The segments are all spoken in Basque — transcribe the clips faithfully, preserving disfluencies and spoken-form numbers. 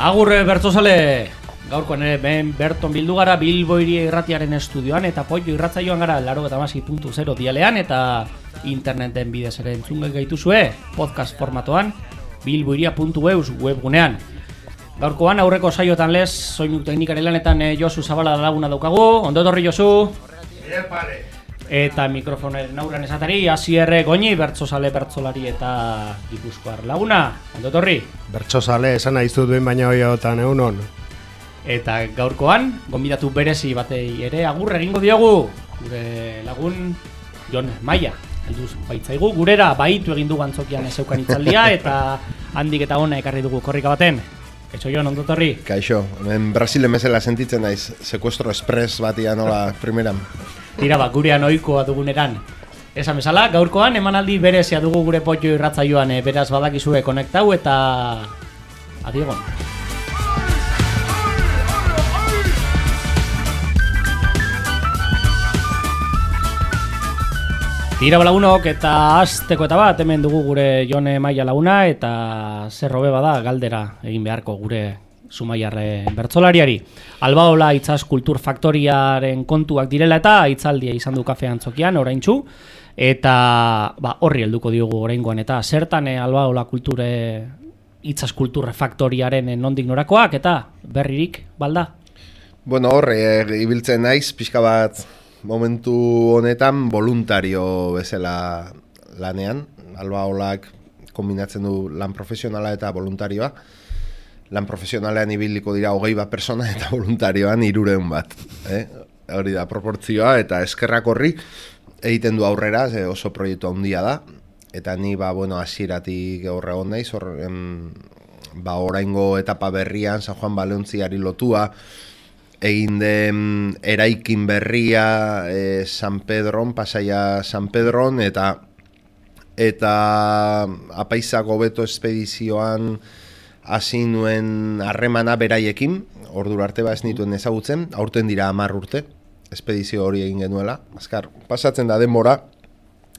Agurre bertzozale, gaurkoan ere ben Berton bildu gara Bilbo Hiria Irratiaren estudioan eta Poio irratzaioan gara laurogeita hamasei puntu zero dialean eta interneten bidez ere entzun gaituzue podcast formatoan bilbohiria puntu eus webgunean. Gaurkoan aurreko saiotan lez soinu teknikaren lanetan eh, Josu Zabala laguna daukagu. Ondo etorri Josu. Eta mikrofonaren aurrean esatari Asierre Goñi, bertsozale bertsolari eta Gipuzkoar laguna. Ondo etorri. Bertsozale esan nahizu duen baina hoiotan egunon. Eta gaurkoan gonbidatu berezi batei ere agur egingo diogu gure lagun Jon Maia. Helduz baitzaigu gurera baitu egin dugu antzokian ezeukan itzaldia eta handik eta hona ekarri dugu korrika baten. Kaixo Jon, ondo etorri. Kaixo, hemen Brasilen bezala sentitzen naiz, secuestro express batia nola primeran. Tira bat, gurean ohikoa duguneran. Esan bezala, gaurkoan emanaldi berezia dugu gure Poio irratzaioan, e, beraz badakizue konektau eta adiegon. Tira balagunok eta azteko eta bat hemen dugu gure Jone Maia laguna eta zer hobe bada galdera egin beharko gure Zumaiarre bertsolariari. Albaola Itzaz Kultur Faktoriaren kontuak direla eta hitzaldia izan du kafe antzokian oraintsu eta ba, horri helduko diogu oraingoan eta zertan e, Albaola Kulture Itzaz Kultur Faktoriaren e, nondik norakoak eta berririk balda. Bueno, horre e, ibiltzen naiz pixka bat momentu honetan voluntario bezala lanean. Albaolak kombinatzen du lan profesionala eta voluntarioa. Lan profesionalean ibiliko dira hogei bat persona eta voluntarioan hirurehun bat. Eh? Hori da proportzioa eta eskerrak horri egiten du aurrera, ze oso proiektu handia da. Eta ni ba, bueno, hasieratik horre egon naiz, hor, em, ba, oraingo etapa berrian San Juan Baleontziari lotua, egin den eraikin berria e, San Pedron, Pasaia San Pedron, eta eta apaizako beto espedizioan hasi nuen harremana beraiekin, ordura arte ba ez nituen ezagutzen, aurten dira hamar urte, espedizio hori egin genuela, azkar, pasatzen da denbora,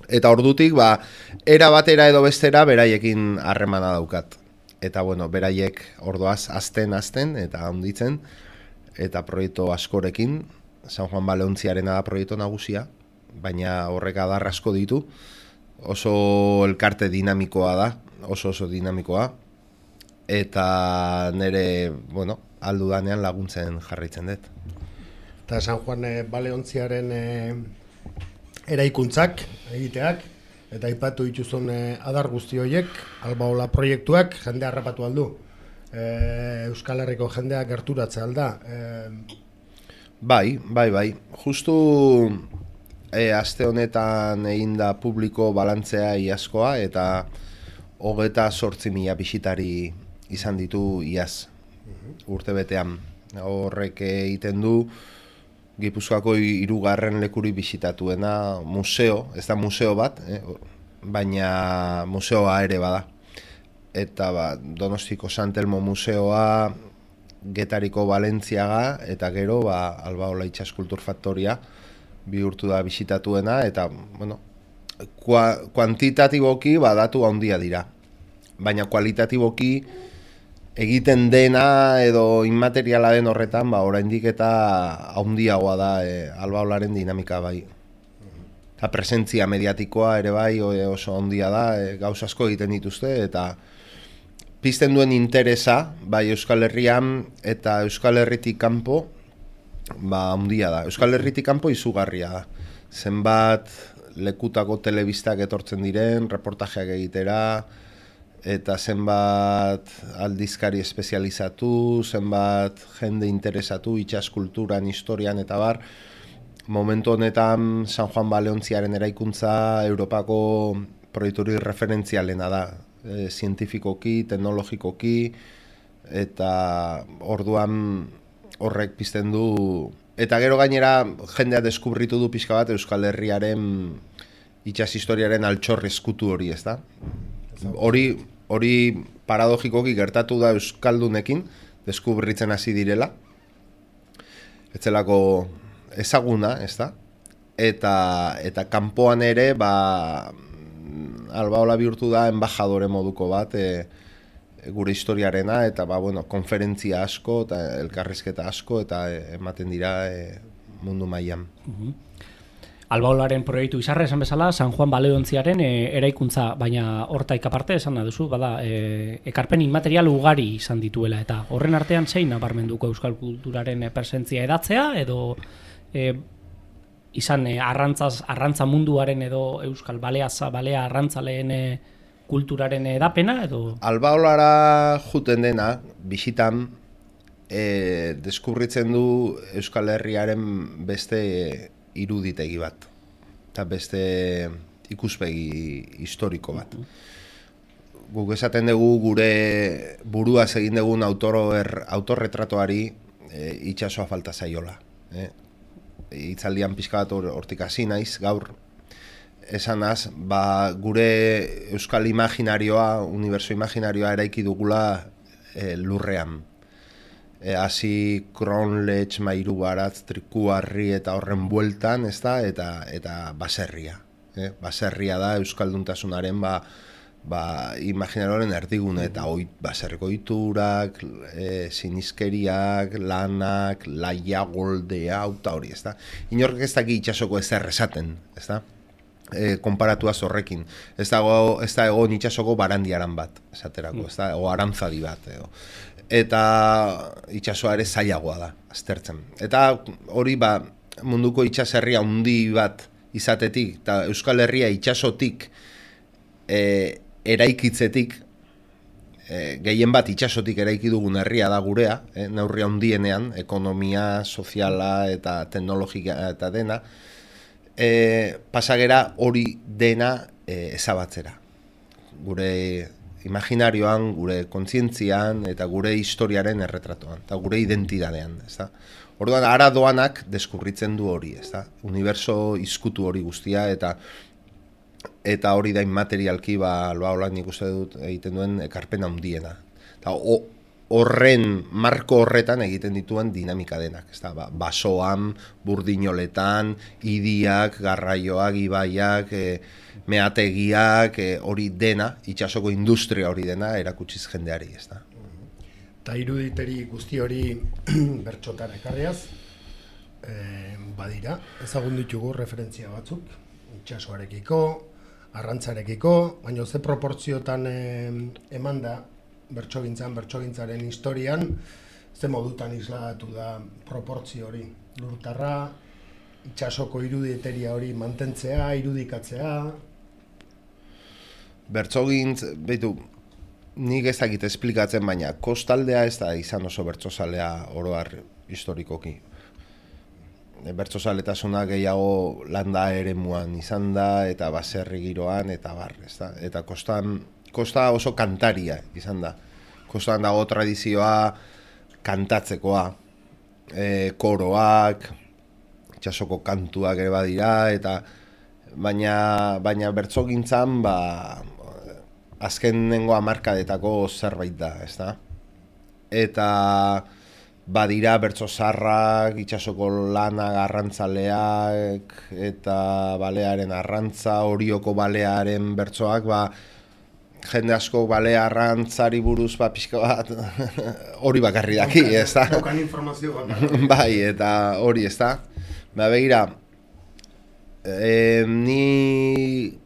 eta ordutik ba, era batera edo bestera beraiekin harremana daukat. Eta bueno, beraiek ordoaz azten azten eta handitzen, eta proiektu askorekin, San Juan Baleontziarena da proiektu nagusia, baina horrek adar asko ditu, oso elkarte dinamikoa da, oso oso dinamikoa, eta nire, bueno, aldu danean laguntzen jarraitzen dut. Eta San Juan e, Baleontziaren e, eraikuntzak, egiteak, eta aipatu dituzun e, adar guzti horiek, Albaola proiektuak jendea harrapatu aldu. E, Euskal Herriko jendea gerturatze alda. E... Bai, bai, bai. Justu e, aste honetan egin da publiko balantzea iazkoa eta hogeta zortzi mila bisitari izan ditu iaz, urte betean. Horrek egiten du Gipuzkoako hirugarren lekuri bisitatuena museo, ez da museo bat, eh, baina museoa ere bada. Eta ba, Donostiko Sant Elmo museoa, Getariko Balentziaga, eta gero ba, Albaola Itzaz Kultur Faktoria bihurtu da bisitatuena, eta bueno, kua, kuantitatiboki ba, datu handia dira. Baina kualitatiboki egiten dena edo inmateriala den horretan, ba, oraindik eta handiagoa da e, Albaolaren dinamika bai. Eta presentzia mediatikoa ere bai oso handia da, e, gauz asko egiten dituzte, eta pizten duen interesa, bai Euskal Herrian eta Euskal Herritik kanpo, ba handia da. Euskal Herritik kanpo izugarria da. Zenbat lekutako telebistak etortzen diren, reportajeak egitera, eta zenbat aldizkari espezializatu, zenbat jende interesatu, itsas kulturan, historian eta bar. Momentu honetan San Juan Baleontziaren eraikuntza Europako proiekturi referentzialena da. E, zientifikoki, teknologikoki, eta orduan horrek pizten du. Eta gero gainera jendea deskubritu du pixka bat Euskal Herriaren itsas historiaren altxor eskutu hori, ez da? Hori, hori paradogikoki gertatu da euskaldunekin, deskubritzen hasi direla. Etzelako ezaguna, ez da? Eta, eta kanpoan ere, ba, Albaola bihurtu da embajadore moduko bat, e, gure historiarena, eta ba, bueno, konferentzia asko, eta elkarrizketa asko, eta ematen dira e, mundu mailan. Uh-huh. Albaolaren proiektu izarra esan bezala, San Juan Baleontziaren e, eraikuntza, baina hortaik aparte esan duzu, bada, e, ekarpen inmaterial ugari izan dituela, eta horren artean zein nabarmenduko euskal kulturaren e, presentzia edatzea, edo e, izan e, arrantzaz, arrantza munduaren edo euskal baleaza, balea arrantzaleen e, kulturaren edapena, edo? Albaolara juten dena, bisitan, e, deskubritzen du Euskal Herriaren beste iruditegi bat, eta beste ikuspegi historiko bat. Guk esaten dugu gure buruaz egin dugun autor, autorretratoari e, itxasoa falta zaiola. E? Itzaldian pixka bat hortik hasi naiz, gaur, esanaz, ba, gure euskal imaginarioa, uniberso imaginarioa eraiki dugula e, lurrean. Hasi Kronlech, Mairu Baratz, Trikuarri eta horren bueltan, ezta, eta eta baserria. Eh? Baserria da euskalduntasunaren ba, ba, imaginarioaren erdigune, eta oit, baserriko ohiturak, e, sinizkeriak, lanak, laia, goldea, eta hori, ezta. Inork ez daki itsasoko ezer esaten, ezta. E, konparatuaz horrekin. Ez dago, ez da egon itsasoko barandiaran bat, esaterako, ez da, o arantzadi bat, edo. Eta itsasoa ere zailagoa da, aztertzen. Eta hori ba, munduko itsaserria handi bat izatetik, eta Euskal Herria itsasotik e, eraikitzetik, e, gehien bat itsasotik eraiki dugun herria da gurea, e, neurri handienean, ekonomia, soziala eta teknologia eta dena, e, pasagera hori dena e, ezabatzera. Gure imaginarioan, gure kontzientzian eta gure historiaren erretratoan, eta gure identidadean, ezta? Orduan, ara doanak deskurritzen du hori, ezta? Uniberso izkutu hori guztia, eta eta hori da inmaterialki, ba, Albaola nik uste dut egiten duen ekarpen handiena. Eta horren, marko horretan egiten dituen dinamika denak, ezta? Ba, basoan, burdinoletan, idiak, garraioak, ibaiak, e, meategiak, hori e, dena, itsasoko industria hori dena, erakutsiz jendeari, ez da. Eta iruditeri guzti hori bertxotan ekarriaz, e, badira, ezagun ditugu referentzia batzuk, itsasoarekiko, arrantzarekiko, baina ze proportziotan e, eman da, bertsogintzan, bertsogintzaren historian, ze modutan isladatu da proportzio hori, lurtarra, itsasoko iruditeria hori mantentzea, irudikatzea. Bertsogintz, behitu, nik ez dakit esplikatzen, baina kostaldea ez da izan oso bertsozalea oroar historikoki. Bertsozaletasunak gehiago landa eremuan izan da, eta baserri giroan, eta bar, ez da? Eta kostan, kosta oso kantaria izan da. Kostan dago tradizioa kantatzekoa, e, koroak, itsasoko kantuak ere badira, eta baina, baina bertsogintzan ba, azkenengo hamarkadetako zerbait da, ezta? Eta badira bertso zarrak, itsasoko lanak, arrantzaleak, eta balearen arrantza, Orioko balearen bertsoak, ba, jende asko balea arrantzari buruz ba, pixka bat hori bakarri daki, ezta? Daukan informazio bakarri. Bai, eta hori, ezta? Ba, begira, e, ni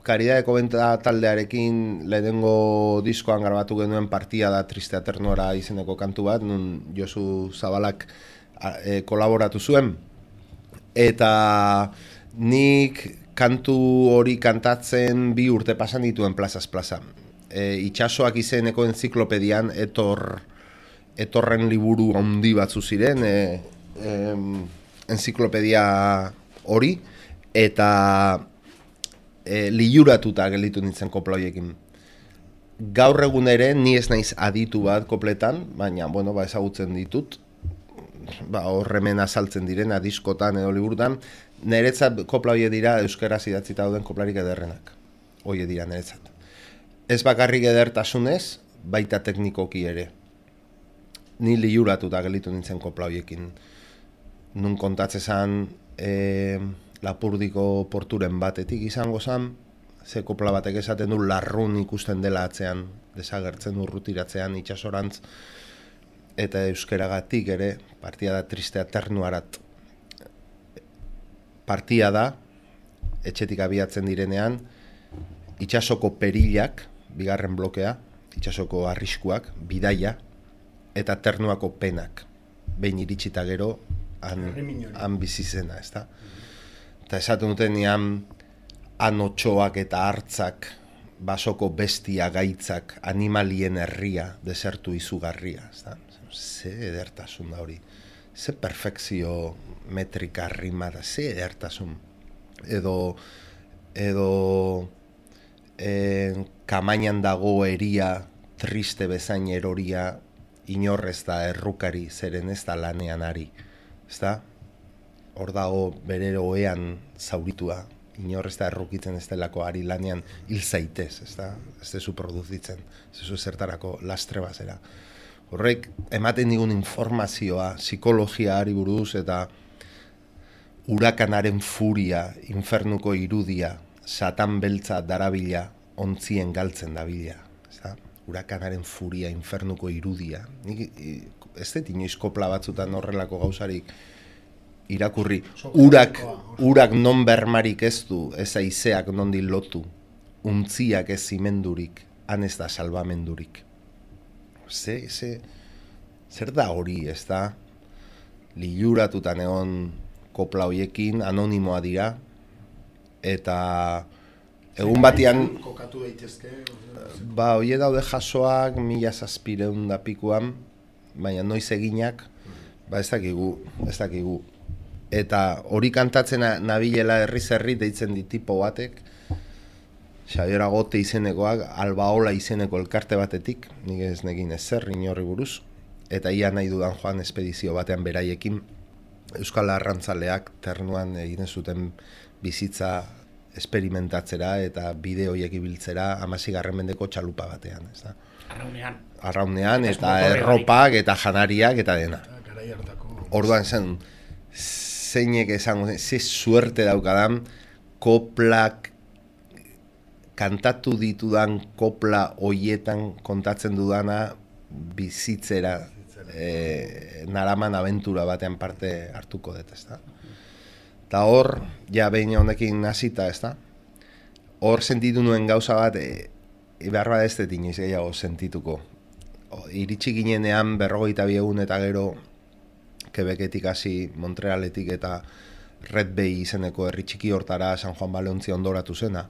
Karidadeko Benta taldearekin lehenengo diskoan grabatu genuen Partia da Triste Aternora izeneko kantu bat, nun Josu Zabalak e, kolaboratu zuen. Eta nik kantu hori kantatzen bi urte pasan dituen plazaz plaza. E, itsasoak izeneko enziklopedian etor, etorren liburu handi batzu ziren, e, e, enziklopedia hori, eta e, liuratuta gelditu nintzen kopla horiekin. Gaur egun ere ni ez naiz aditu bat kopletan, baina bueno, ba, ezagutzen ditut, ba, horremen azaltzen direna diskotan edo liburutan, niretzat kopla horiek dira euskaraz idatzita dauden koplarik ederrenak. Horiek dira niretzat. Ez bakarrik edertasunez, baita teknikoki ere. Ni liuratuta gelditu nintzen kopla horiekin. Nun kontatzezan e, Lapurdiko porturen batetik izango zen, ze kopla batek esaten du larrun ikusten dela atzean desagertzen urrutiratzean itsasorantz, eta euskeragatik ere, partia da tristea ternuarat. Partia da, etxetik abiatzen direnean, itsasoko perilak, bigarren blokea, itsasoko arriskuak, bidaia, eta ternuako penak. Behin iritsita gero, han, han bizizena, ez da? Eta esaten duten nian, anotxoak eta hartzak, basoko bestia gaitzak, animalien herria, desertu izugarria, ez da? Ze edertasun da hori, ze perfekzio metrika rimara, ze edertasun. Edo, edo e, kamainan dago eria, triste bezain eroria, inorrez da errukari, zeren ez da lanean ari. Ez da? Hor dago bere oean zauritua, inorrez da errukitzen ez delako ari lanean hil zaitez, ez da? Ez dezu produzitzen, ez dezu zertarako lastre bazera. Horrek, ematen digun informazioa, psikologiaari buruz eta urakanaren furia, infernuko irudia, satan beltza darabila, ontzien galtzen dabila. Urakanaren furia, infernuko irudia. Nik, ez dut inoiz kopla batzutan horrelako gauzarik irakurri. Urak, urak non bermarik ez du, ez aizeak nondi lotu, untziak ez zimendurik, han ez da salvamendurik. Ze, ze, zer da hori, ez da? Liluratutan egon kopla hoiekin, anonimoa dira, eta egun batian, kokatu daitezke. Ba, hoie daude jasoak mila zazpireun da pikuan, baina noiz eginak, ba ez dakigu, ez dakigu. Eta hori kantatzen nabilela herriz herri deitzen di tipo batek, Xabier Agote izenekoak, Albaola izeneko elkarte batetik, nik ez negin ezer inorri buruz, eta ia nahi dudan joan espedizio batean beraiekin, Euskal Arrantzaleak ternuan egin zuten bizitza esperimentatzera eta bide horiek ibiltzera hamaseigarren mendeko txalupa batean, ez da? Arraunean. Arraunean eta erropak eta janariak eta dena. Orduan zen, zeinek esango zen, ze suerte daukadan, koplak, kantatu ditudan kopla hoietan kontatzen dudana bizitzera e, naraman abentura batean parte hartuko dut, ez da? Eta hor, ja behin honekin hasita, ez da? Hor sentitu nuen gauza bat, e, e, behar bat ez dut inoiz gehiago sentituko. O, iritsi ginenean berrogeita bi egun eta gero Quebeketik hasi, Montrealetik eta Red Bay izeneko herri txiki hortara San Juan Baleontzi ondoratu zena.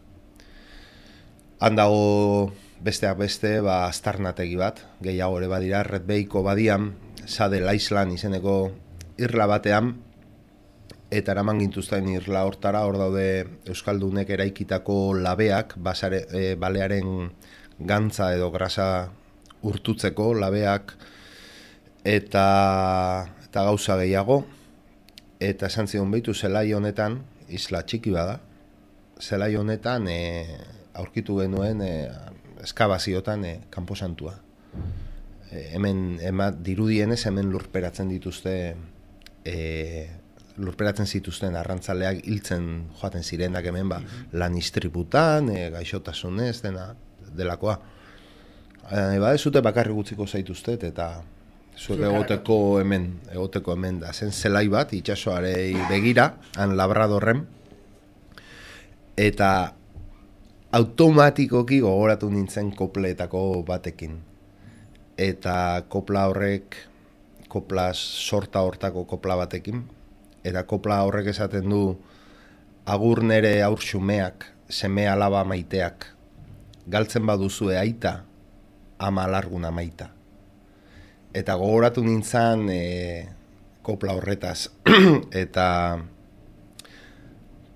Han dago besteak beste, ba, aztarnategi bat, gehiago ere badira, Red Bayko badian, Saddle Island izeneko irla batean, eta eraman gintuzten irla hortara, hor daude Euskaldunek eraikitako labeak, basare, e, balearen gantza edo grasa urtutzeko labeak, eta, eta gauza gehiago, eta esan zion behitu zelai honetan, isla txiki bada, zelai honetan, e, aurkitu genuen e, eskabaziotan e, kanposantua. E, hemen ema, dirudienez hemen lurperatzen dituzte e, lurperatzen zituzten arrantzaleak hiltzen joaten zirenak hemen ba, lan istriputan, e, gaixotasunez dena delakoa. E, ba, ez zute bakarri gutziko zaituztet eta zuek egoteko hemen, egoteko hemen da. Zen zelai bat, itsasoarei begira, han Labradorren, eta automatikoki gogoratu nintzen kopletako batekin. Eta kopla horrek, kopla sorta hortako kopla batekin, eta kopla horrek esaten du agur nere aur xumeak, seme alaba maiteak, galtzen baduzue aita, ama alarguna maita. Eta gogoratu nintzen e, kopla horretaz, eta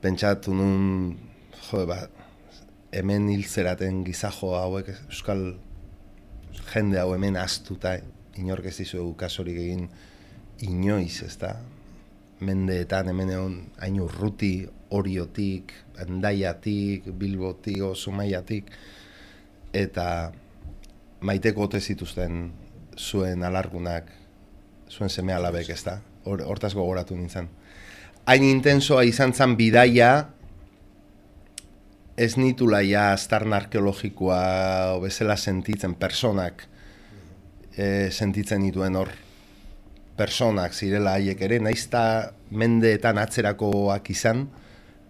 pentsatu nun, jode bat, hemen hiltzeraten gizajo hauek, euskal jende hau hemen astuta, inork ez dizuegu kasorik egin inoiz, ez da? Mendeetan hemen egon hain urruti, Oriotik, Hendaiatik, Bilbotik, Zumaiatik, eta maiteko ote zituzten zuen alargunak, zuen seme alabek, ez da? Hortaz gogoratu nintzen. Hain intensoa izan zen bidaia, ez nitula ja aztarna arkeologikoa bezala sentitzen, personak e, sentitzen dituen hor. Personak zirela haiek ere, naizta mendeetan atzerakoak izan,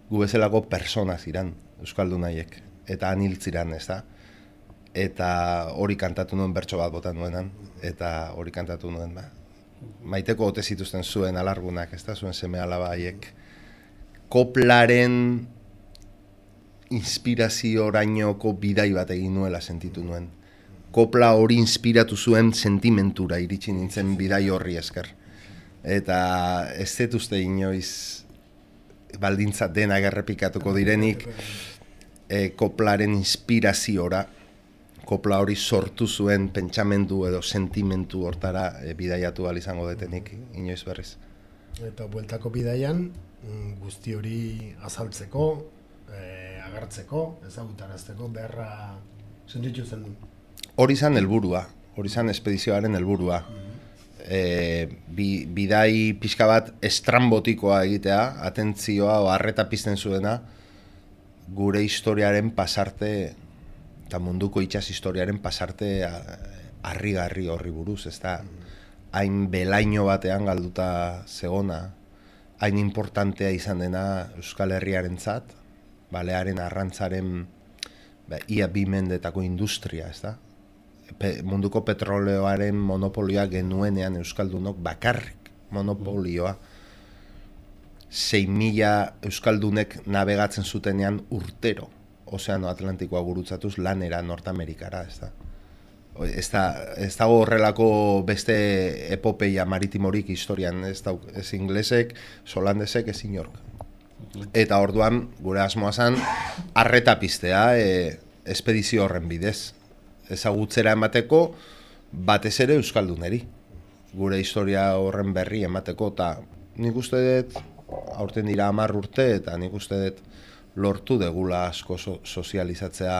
gu bezalako persona ziren, euskaldun haiek. Eta aniltziran, ez da? Eta hori kantatu nuen bertso bat botan nuenan, eta hori kantatu nuen, ba. Maiteko ote zituzten zuen alargunak, ez da? Zuen seme alaba haiek. Koplaren inspiraziorainoko bidai bat egin nuela sentitu nuen. Kopla hori inspiratu zuen sentimentura iritsi nintzen bidai horri esker. Eta ez zetuzte inoiz baldintza dena errepikatuko direnik e, koplaren inspiraziora, kopla hori sortu zuen pentsamendu edo sentimentu hortara e, bidaiatu ahal izango detenik inoiz berriz. Eta bueltako bidaian guzti hori azaltzeko, e, agertzeko, ezagutarazteko beharra sentitu zen du. Hori zan helburua, hori zan espedizioaren helburua. E, bi, bidai pixka bat estrambotikoa egitea, atentzioa o arreta pizten zuena, gure historiaren pasarte, eta munduko itsas historiaren pasarte harrigarri horri buruz, ez da, hain belaino batean galduta zegona, hain importantea izan dena Euskal Herriarentzat, balearen arrantzaren ba, ia bi mendetako industria, ez da? Pe, munduko petroleoaren monopolioa genuenean euskaldunok bakarrik monopolioa. sei mila euskaldunek navegatzen zutenean urtero Ozeano Atlantikoa gurutzatuz lanera Nortamerikara, ez da? Ez da, ez dago horrelako beste epopeia maritimorik historian, ez da, ez inglesek, holandesek, ez inork. Eta orduan, gure asmoa zen, arreta piztea e, espedizio horren bidez. Ezagutzera emateko, batez ere euskalduneri. Gure historia horren berri emateko, eta nik uste dut, aurten dira hamar urte, eta nik uste dut lortu degula asko so, sozializatzea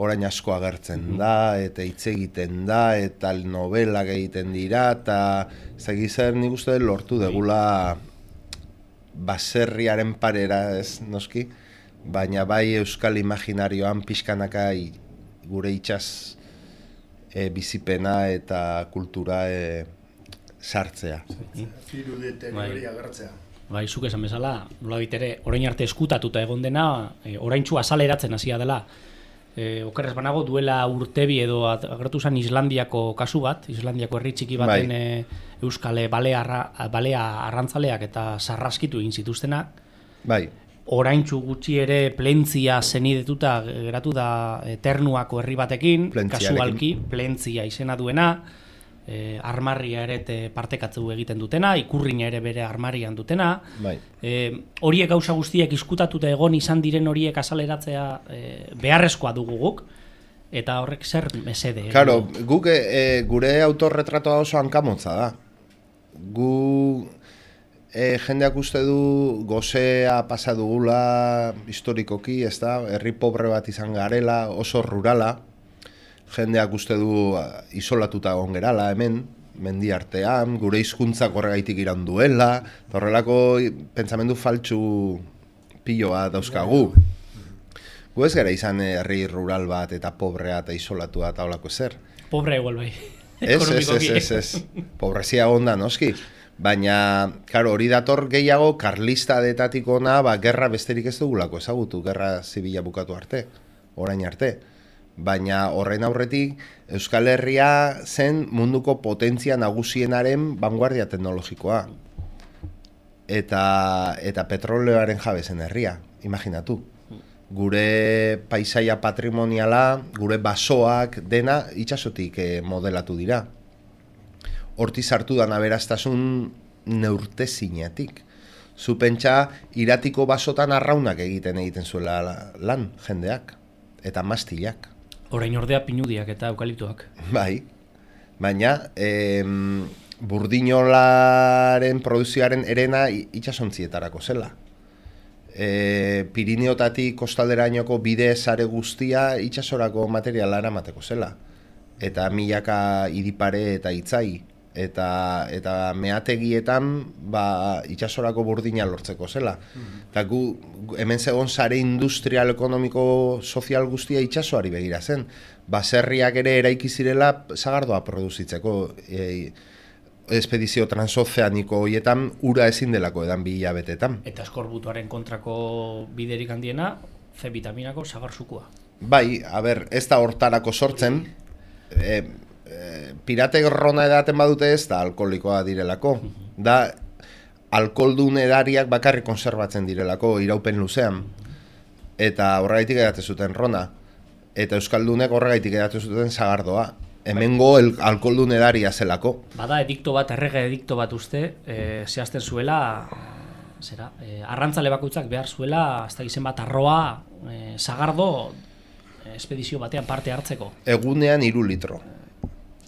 orain asko agertzen da, eta hitz egiten da, eta novelak egiten dira, eta zegizer nik uste dut lortu degula baserriaren parera, ez noski, baina bai euskal imaginarioan pixkanaka gure itsas e, bizipena eta kultura e, sartzea. Irudeten hori agertzea. Bai, zuk esan bezala, nola bitere, orain arte eskutatuta egon dena, e, oraintsu azaleratzen hasia dela. E, okerrez banago duela urtebi edo agertu zen Islandiako kasu bat, Islandiako herri txiki baten bai. e, euskale balea, balea arrantzaleak eta sarraskitu egin zituztenak. Bai. Oraintzu gutxi ere Plentzia zenidetuta geratu da e, Ternuako herri batekin, kasualki Plentzia izena duena, e, armarria ere partekatzu egiten dutena, ikurrina ere bere armarian dutena. Bai. E, horiek gauza guztiek izkutatuta egon izan diren horiek azaleratzea e, beharrezkoa dugu guk, eta horrek zer mesede. Claro, guk e, gure autorretratoa oso hankamotza da. Gu... E, jendeak uste du gozea pasa dugula historikoki, ez da, herri pobre bat izan garela, oso rurala. Jendeak uste du isolatuta egon gerala hemen, mendi artean, gure hizkuntzak horregaitik iran duela, horrelako pentsamendu faltsu piloa dauzkagu. Gu ez gara izan herri rural bat eta pobrea eta isolatua eta holako zer. Pobre igual bai. Ez, ez, ez, ez, ez. Pobrezia onda, noski. Baina, karo, hori dator gehiago karlista detatik ona, ba, gerra besterik ez dugulako ezagutu, gerra zibila bukatu arte, orain arte. Baina horren aurretik, Euskal Herria zen munduko potentzia nagusienaren vanguardia teknologikoa. Eta, eta petroleoaren jabe zen herria, imaginatu. Gure paisaia patrimoniala, gure basoak dena itsasotik eh, modelatu dira. Horti sartu da aberastasun neurtezinatik. Zu pentsa iratiko basotan arraunak egiten egiten zuela lan jendeak eta mastilak. Orain ordea pinudiak eta eukaliptoak. Bai. Baina em, burdinolaren produzioaren erena itsasontzietako zela. E, Pirineotatik kostalderainoko bide sare guztia itsasorako materiala eramateko zela. Eta milaka iripare eta itzai eta eta meategietan ba itsasorako burdina lortzeko zela. Eta gu hemen zegoen sare industrial, ekonomiko, sozial guztia itsasoari begira zen. Baserriak ere eraiki zirela sagardoa produzitzeko. E, espedizio transozeaniko horietan ura ezin delako edan bi hilabetetan. Eta eskorbutuaren kontrako biderik handiena, C vitaminako sagarzukua. Bai, a ber, ez da hortarako sortzen. E, e, pirate rona edaten badute ez da alkoholikoa direlako. Da alkoholdun edariak bakarrik konserbatzen direlako iraupen luzean. Eta horregaitik edaten zuten rona. Eta euskaldunek horregaitik edaten zuten sagardoa. Hemengo el alkoholdun edaria zelako. Bada edikto bat, errege edikto bat uste, e, zehazten zuela, zera, e, arrantzale bakoitzak behar zuela, ez da izen bat arroa, e, sagardo, e, espedizio batean parte hartzeko. Egunean hiru litro,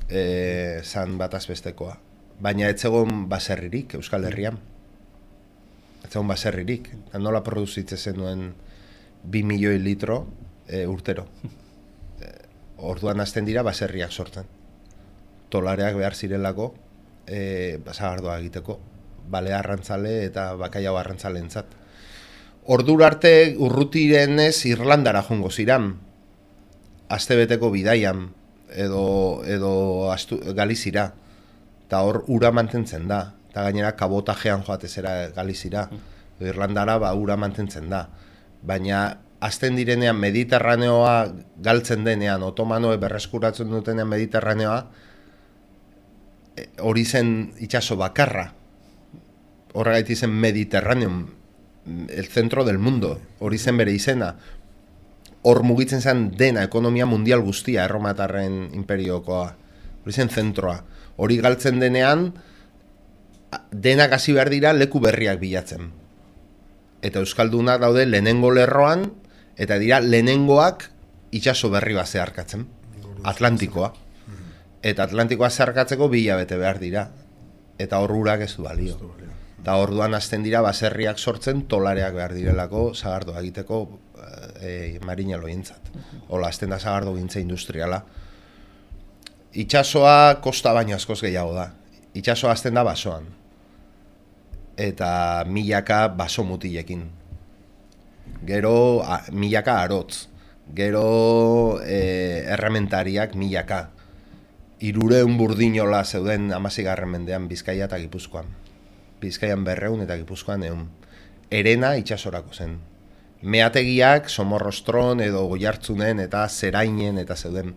e, zan bat azbestekoa. Baina ez zegoen baserririk Euskal Herrian. Ez zegoen baserririk. Nola produzitzen zenuen bi milioi litro e, urtero. Orduan hasten dira baserriak sortzen. Tolareak behar zirelako e, sagardoa egiteko. Bale arrantzale eta bakaiau arrantzaleentzat. Ordura arte urrutirenez Irlandara joango ziran. Astebeteko bidaian edo, edo astu, Galizira. Eta hor ura mantentzen da. Eta gainera kabotajean joatezera Galizira. Irlandara ba ura mantentzen da. Baina azten direnean Mediterraneoa galtzen denean, otomanoe berreskuratzen dutenean Mediterraneoa, hori zen itsaso bakarra. Horregaitik zen Mediterraneum, el centro del mundo, hori zen bere izena. Hor mugitzen zen dena, ekonomia mundial guztia, erromatarren imperiokoa. Hori zen zentroa. Hori galtzen denean, denak hasi behar dira leku berriak bilatzen. Eta euskaldunak daude lehenengo lerroan, eta dira lehenengoak itsaso berri bat zeharkatzen, Atlantikoa. Eta Atlantikoa zeharkatzeko bi hilabete behar dira. Eta hor urak ez du balio. Eta orduan hasten dira baserriak sortzen, tolareak behar direlako sagardoa egiteko e, marinaloientzat. Hola, hasten da sagardo gintza industriala. Itsasoa kosta baino askoz gehiago da. Itsasoa hasten da basoan. Eta milaka baso mutilekin. Gero a, milaka arotz. Gero e, errementariak milaka. Hirureun burdinola zeuden hamaseigarren mendean Bizkaia eta Gipuzkoan. Bizkaian berreun eta Gipuzkoan eun. Herena itsasorako zen. Meategiak Somorrostron edo Goiartzunen eta Zerainen eta zeuden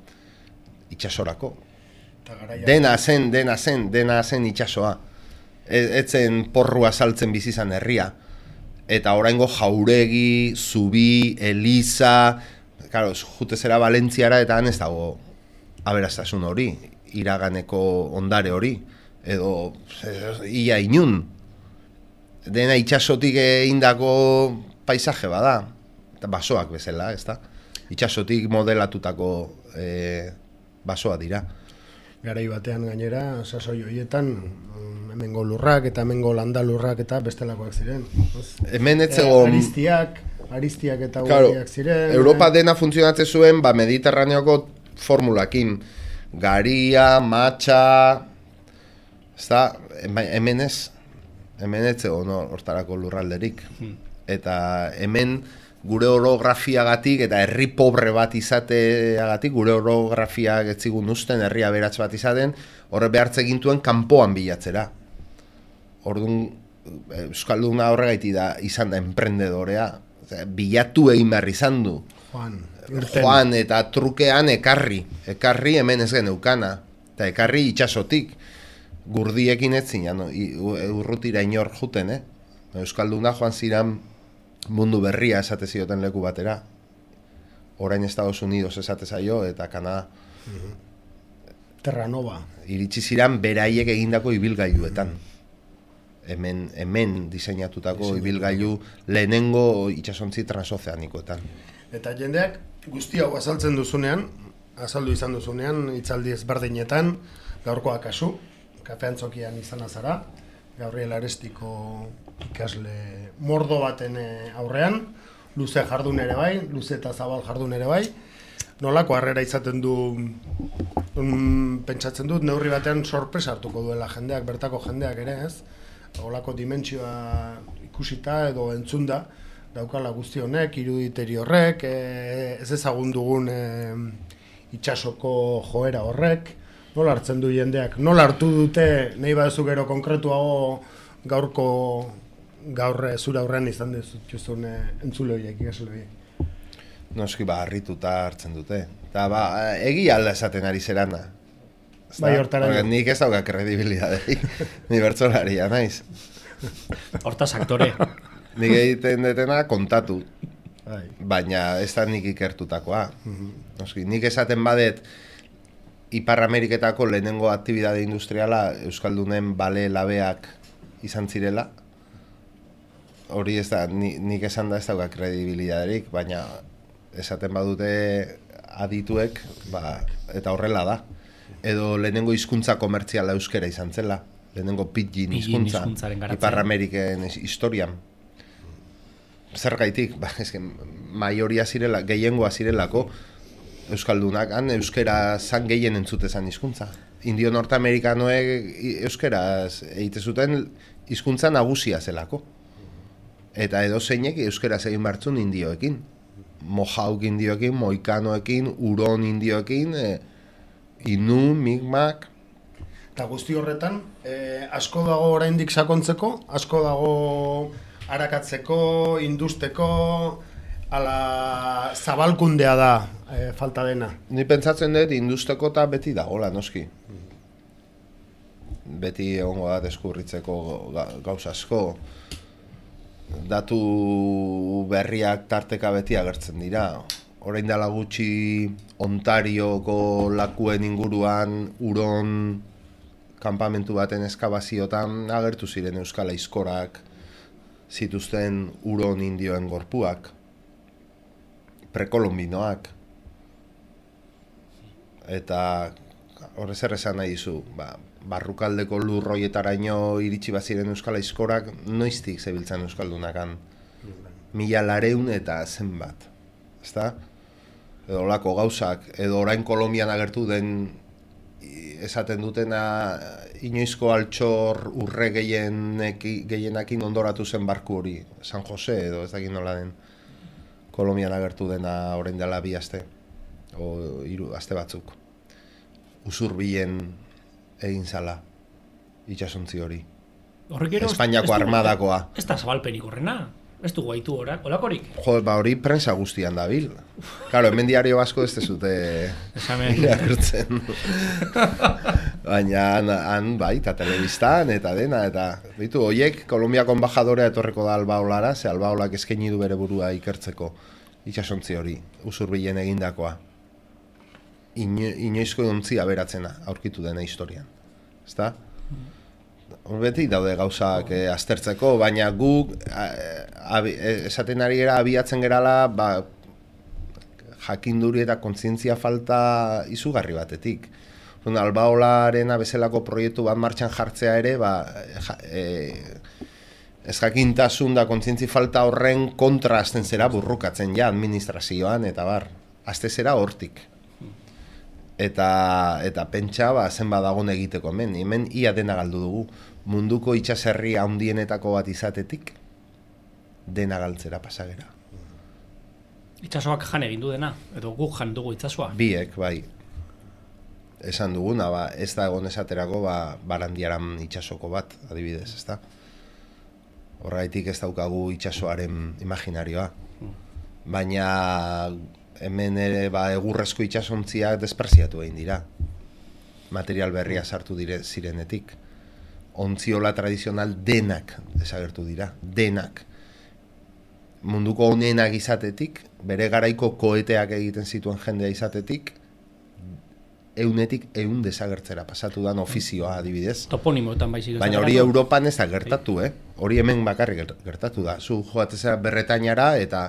itsasorako. Dena zen, dena zen, dena zen itsasoa. Etzen porrua saltzen bizi izan herria. Eta oraingo jauregi, zubi, eliza, claro, jutezera Valentziara eta han ez dago aberastasun hori, iraganeko ondare hori, edo ia inun. Dena itsasotik egindako paisaje bada, eta basoak bezala, ez da? Itsasotik modelatutako e, basoa dira. Garai batean gainera, sasoi horietan, hemengo lurrak eta hemengo landalurrak eta bestelakoak ziren. Hemen ez zegoen... Aristiak, aristiak eta claro, guardiak ziren. Europa dena funtzionatzen zuen, ba, Mediterraneoko formulakin. Garia, matxa... Ez da, hemen ez, hemen ez zegoen hortarako lurralderik. Eta hemen gure orografiagatik eta herri pobre bat izateagatik, gure orografiak ez zigun usten, herri aberats bat izaten, horre behartze gintuen kanpoan bilatzera. Orduan, euskalduna horregaiti da izan da emprendedorea, bilatu egin behar izan du. Juan, Joan eta trukean ekarri, ekarri hemen ez geneukana, eta ekarri itsasotik, gurdiekin ez zinan, urrutira inor juten, eh? Euskalduna joan ziran mundu berria esate zioten leku batera. Orain Estados Unidos esate zaio eta Kanada. Terra Nova. Iritsi ziran beraiek egindako ibilgailuetan. Hemen, hemen diseinatutako ibilgailu lehenengo itsasontzi transozeanikoetan. Eta jendeak guzti hau azaltzen duzunean, azaldu izan duzunean, hitzaldi ezberdinetan, gaurkoa kasu, kafeantzokian izan azara, Gabriel Arestiko ikasle mordo baten aurrean, luze jardun ere bai, luze eta zabal jardun ere bai, nolako harrera izaten du, Um, pentsatzen dut, neurri batean sorpresa hartuko duela jendeak, bertako jendeak ere, ez? Olako dimentsioa ikusita edo entzunda, daukala guzti honek, iruditeri horrek, e, ez ezagun dugun e, itsasoko joera horrek, nola hartzen du jendeak, nola hartu dute, nahi baduzu gero konkretuago gaurko, gaur zure aurrean izan duzun e, entzule horiek, ikasle horiek. Noski ba, harrituta hartzen dute. Eta ba, egia alda esaten ari zerana. Bai, hortara. Nik ez dauka kredibilidadeik, ni bertsolaria naiz. Hortaz aktore. Nik egiten detena kontatu, Bai. baina ez da nik ikertutakoa. Noski, nik esaten badet Ipar Ameriketako lehenengo aktibidade industriala Euskaldunen bale labeak izan zirela. Hori ez da, ni, nik esan da ez dauka kredibilidaderik, baina esaten badute adituek, ba, eta horrela da. Edo lehenengo hizkuntza komertziala euskera izan zela. Lehenengo pidgin hizkuntza Ipar Ameriken historian. Zer gaitik? Ba, eske, maioria zirela, gehiengoa zirelako Euskaldunak, han euskera zan gehien entzute zan hizkuntza. Indio nortamerikanoek euskaraz egite zuten hizkuntza nagusia zelako. Eta edo zeinek euskaraz egin bartzun indioekin. Mojauk indioekin, moikanoekin, uron indioekin, e, inu, migmak. Eta guzti horretan, eh, asko dago oraindik sakontzeko, asko dago arakatzeko, industeko, ala zabalkundea da eh, falta dena. Ni pentsatzen dut industeko eta beti dagoela, noski. Beti egongo da deskurritzeko gauza asko. Datu berriak tarteka beti agertzen dira. Orain dela gutxi Ontarioko lakuen inguruan uron kanpamentu baten eskabaziotan agertu ziren euskal aizkorak zituzten uron indioen gorpuak, prekolombinoak. Eta horrez zer esan nahi dizu, ba, barrukaldeko lurroietaraino iritsi baziren euskal aizkorak noiztik zebiltzan euskaldunakan. Mila lareun eta zenbat. Ezta? Edo olako gauzak, edo orain Kolombian agertu den esaten dutena inoizko altxor urre gehienakin ondoratu zen barku hori, San Jose edo ez dakit nola den Kolombian agertu dena orain dela bi aste, o hiru aste batzuk. Usurbilen egin zala itsasontzi hori. Espainiako armadakoa. Ez da zabalpenik horrena. Ez du guaitu horak, olakorik? Jo, ba hori prensa guztian dabil. Claro, hemen diario asko ez dezute irakurtzen. Baina han, han bai, eta telebistan, eta dena, eta ditu, hoiek, Kolombiako enbajadorea etorreko da Albaolara, ze Albaolak eskaini du bere burua ikertzeko itsasontzi hori, Usurbilen egindakoa. Ino, inoizko ontzia beratzena aurkitu dena historian. Ezta? Beti daude gauzak eh, aztertzeko, baina guk esaten ari gara abiatzen gerala ba, jakinduri eta kontzientzia falta izugarri batetik. Albaolarena bezalako proiektu bat martxan jartzea ere, ba, ja, e, ez jakintasun da kontzientzi falta horren kontra azten zera burrukatzen ja administrazioan, eta bar, azte zera hortik. Eta, eta pentsa ba, zenba dagoen egiteko hemen, hemen ia dena galdu dugu. Munduko itxaserri handienetako bat izatetik, dena galtzera pasagera. Itxasoak jan egin du dena, edo guk jan dugu itxasoa? Biek, bai. Esan duguna, ba, ez da egon esaterako ba, Barandiaran itxasoko bat, adibidez, ez da? Horraitik ez daukagu itxasoaren imaginarioa. Baina hemen ere ba, egurrezko itxasontziak despreziatu egin dira. Material berria sartu dire zirenetik. Ontziola tradizional denak desagertu dira, denak. Munduko honenak izatetik, bere garaiko koeteak egiten zituen jendea izatetik, eunetik eun desagertzera pasatu dan ofizioa adibidez. Toponimoetan baizik. Baina hori Europan ez da gertatu, eh? Hori hemen bakarrik gertatu da. Zu joatzea Berretainara eta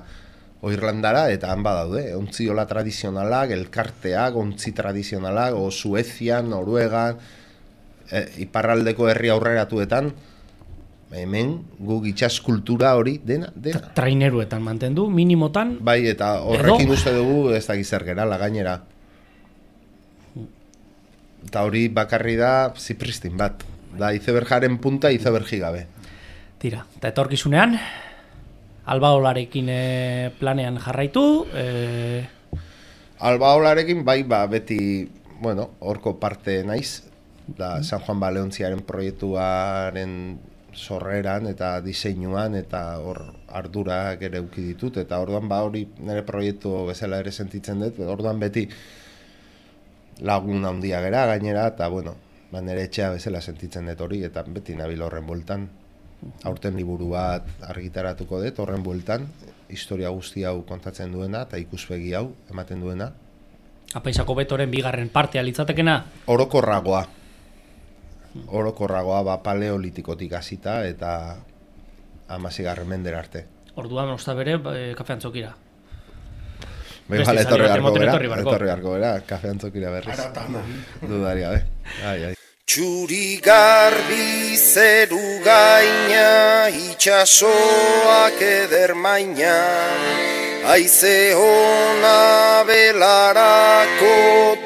Irlandara eta han badaude. Ontziola tradizionalak, elkarteak, ontzi tradizionalak, o Suezia, Noruega, e, iparraldeko herri aurreratuetan, hemen guk itsas kultura hori dena, dena. Traineruetan mantendu, minimotan. Bai, eta horrekin uste dugu ez da gizar gerala gainera. Eta hori bakarri da zipristin bat. Da izeberjaren punta izebergi gabe. Tira, eta etorkizunean, albaolarekin e, planean jarraitu. E... Albaolarekin bai, ba, beti, bueno, horko parte naiz. Da San Juan Baleontziaren proiektuaren sorreran eta diseinuan eta hor ardurak ere eduki ditut. Eta orduan ba hori nire proiektu bezala ere sentitzen dut. Orduan beti lagun handia gera gainera eta bueno, ba nire etxea bezala sentitzen dut hori eta beti nabil horren bueltan. Aurten liburu bat argitaratuko dut horren bueltan, historia guzti hau kontatzen duena eta ikuspegi hau ematen duena. Apaizako betoren bigarren partea litzatekena? Orokorragoa. Orokorragoa ba paleolitikotik hasita eta hamaseigarren mendera arte. Orduan osta bere e, kafe antzokira. Bai, vale, etorri harko bera, etorri harko bera, kafe antzokira berriz. Aratana. Dudaria, be. Ai, ai. Txuri garbi zeru gaina, itxasoak eder maina, haize hona belarako,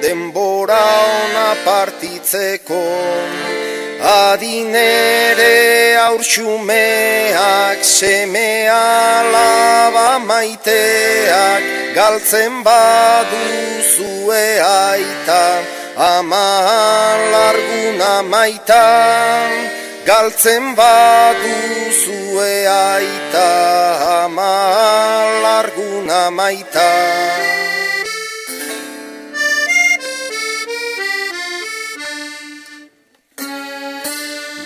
denbora ona partitzeko, adinere aurxumeak, seme alaba maiteak, galtzen baduzue aita, ama larguna maita, galtzen baduzue aita, ama larguna maita.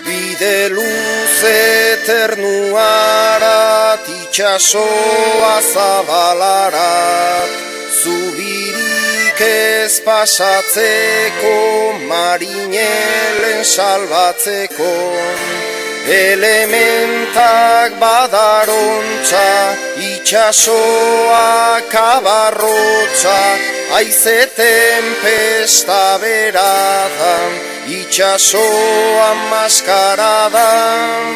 Bide luze ternuarat, itxasoa zabalarat, zubirik ez pasatzeko, marinelen salbatzeko, elementak badarontza, itxasoa kabarrotza, haize tempesta beradan, itxasoa maskaradan,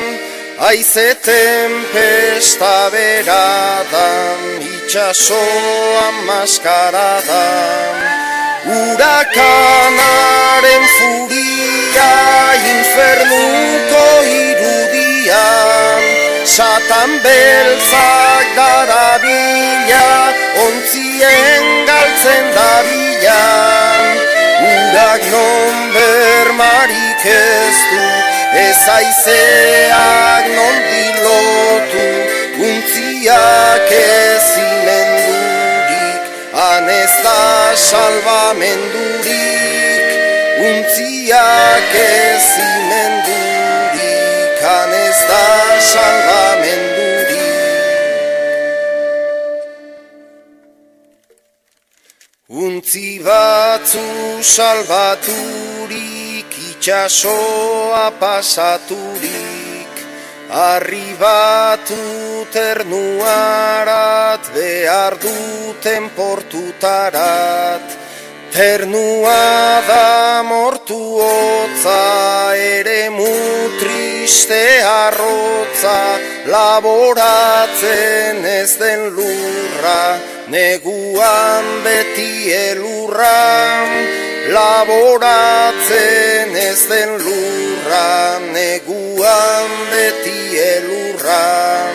haize tempesta beradan, itxasoa maskaradan. Hurakanaren furia, infernuko irudian, Satan beltzak darabila, ontzien galtzen dabilan. Urak non bermarik ez du, ez aizeak non dilotu, untziak ezinen durik, han ez da salvamendurik, untziak ezinen durik, han ez da salvamendurik. Untzi batzu salbaturik, itxasoa pasaturik, arribatu ternuarat, behar duten portutarat. Ternua da mortu hotza, ere mutriste arrotza, laboratzen ez den lurra, neguan beti elurra, laboratzen ez den lurra, neguan beti elurra.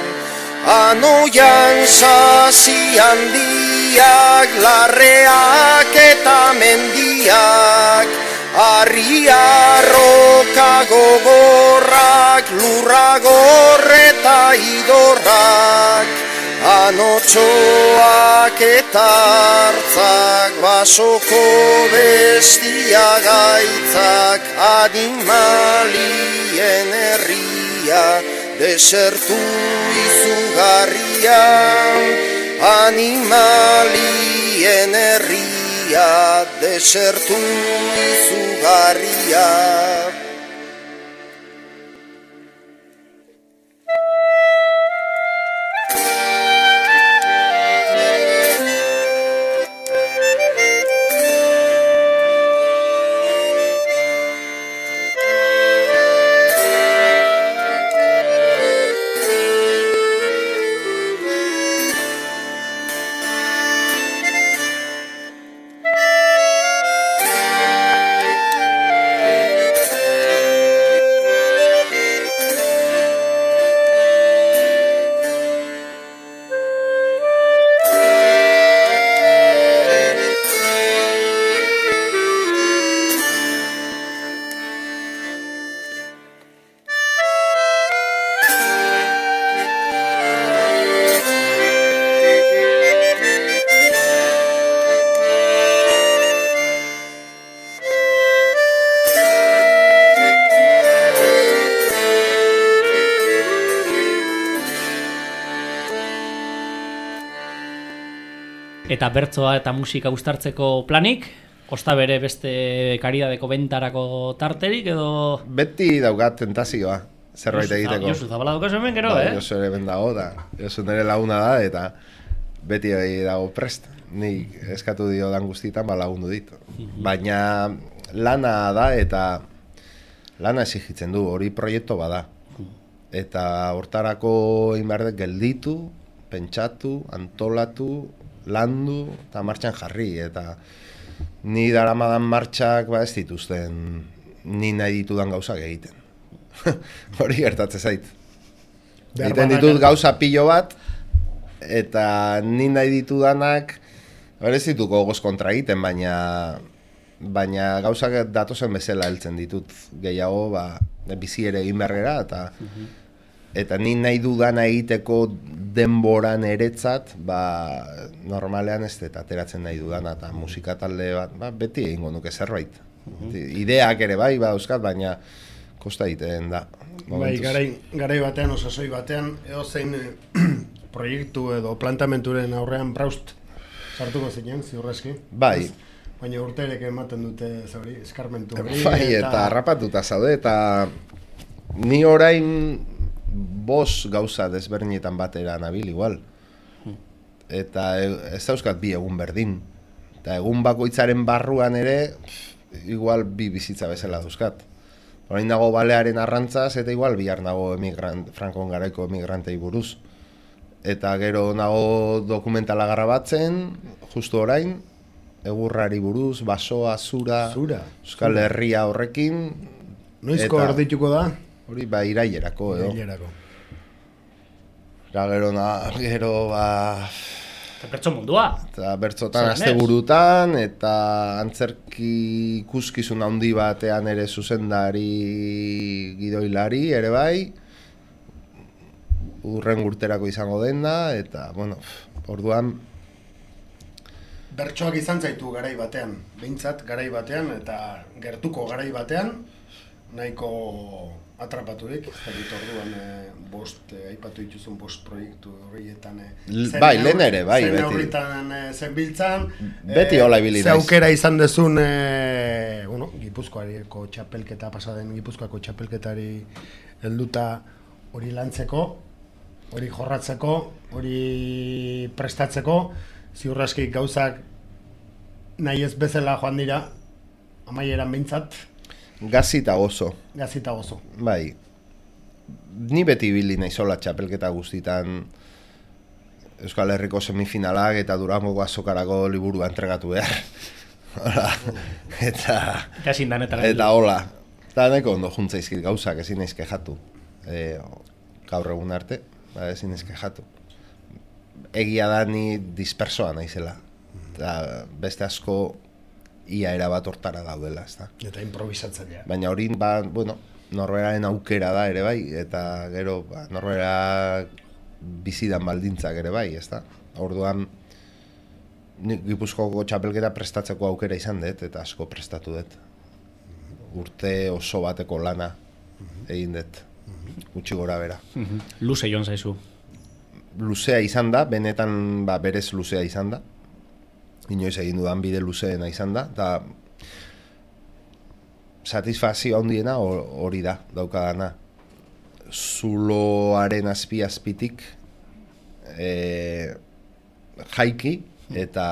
Anoian sasi handiak, larreak eta mendiak, harriarroka gogorrak, lurra gorreta idorrak, anotxoak eta hartzak, basoko bestia gaitzak, animalien herria, desertu izugarria, animalien herria, desertu izugarria. Eta bertsoa eta musika uztartzeko planik? Osta bere beste karidadeko bentarako tarterik edo... Beti daukat tentazioa, zerbait egiteko. Josu Zabala daukazu hemen gero, ba, eh? Josu ere ben dago da, Josu nire laguna da eta beti dago prest. Nik eskatu dio dan guztietan ba lagundu dit. Baina lana da eta lana exigitzen du, hori proiektu bada. Eta hortarako inberdek gelditu, pentsatu, antolatu, landu eta martxan jarri. Eta ni daramadan martxak ba ez dituzten ni nahi ditudan gauzak egiten. Hori gertatzen zait. Egiten ditut gauza pilo bat, eta ni nahi ditudanak ez dituko goz kontra egiten, baina baina gauzak datozen bezala heltzen ditut. Gehiago ba, bizi ere egin bergera, eta eta ni nahi dudana egiteko denboran eretzat, ba, normalean ez dut ateratzen nahi dudana, eta musika talde bat, ba, beti egingo nuke zerbait. Ideak ere bai, ba, euskat, baina kosta egiten da. Bai, garai, garai batean, osasoi batean, edo zein proiektu edo plantamenturen aurrean braust sartuko zinen, ziurrezki. Bai. Baina urterek ematen dute zauri, eskarmentu hori. Bai, eta harrapatuta zaude, eta ni orain bos gauza desberdinetan batera nabil igual. Eta ez dauzkat bi egun berdin. Eta egun bakoitzaren barruan ere, igual bi bizitza bezala dauzkat. Orain dago balearen arrantzaz, eta igual bihar nago emigrant, Frankon garaiko emigrantei buruz. Eta gero nago dokumentala grabatzen, justu orain, egurrari buruz, basoa, zura, Zura. Euskal Herria horrekin. Noizko eta erdituko da? Hori ba irailerako edo. Irailerako. Eta gero, na, gero ba... Eta bertso mundua. Eta bertzotan Zer asteburutan, eta antzerki ikuskizun handi batean ere zuzendari gidoilari ere bai. Urren urterako izango dena, eta, bueno, orduan... Bertsoak izan zaitu garai batean, behintzat garai batean, eta gertuko garai batean, nahiko atrapaturik, ez dakit orduan e, bost, e, aipatu dituzun bost proiektu horietan. E, bai, lehen ere, bai, zen beti. Horretan e, zenbiltzan. Beti hola ibili Ze naiz. aukera izan dezun, e, bueno, Gipuzkoariko txapelketa pasaden, Gipuzkoako txapelketari helduta hori lantzeko, hori jorratzeko, hori prestatzeko, ziurraski gauzak nahi ez bezala joan dira, amaieran behintzat, Gazita gozo. gazita gozo. Bai. Ni beti ibili naizola txapelketa guztitan Euskal Herriko semifinalak eta Durangoko azokarako liburua entregatu behar. Hola. Eta... Eta ezin danetara. Eta hola. Eta nahiko ondo juntzaizkit gauzak, ezin naiz kexatu. E, gaur egun arte, ba, ezin naiz kexatu. Egia da ni dispersoa naizela. Eta beste asko ia erabat hortara daudela, ezta. Eta improvisatzailea. Baina hori, ba, bueno, norberaren aukera da ere bai, eta gero ba, norbera bizidan baldintzak ere bai, ezta. Orduan, nik Gipuzkoako txapelketa prestatzeko aukera izan dut, eta asko prestatu dut. Urte oso bateko lana egin dut, gutxi gora bera. Luze joan zaizu. Luzea izan da, benetan ba, berez luzea izan da. Inoiz egin dudan bide luzeena izan da, eta satisfazio handiena hori da, daukadana. Zuloaren azpi-azpitik e, jaiki eta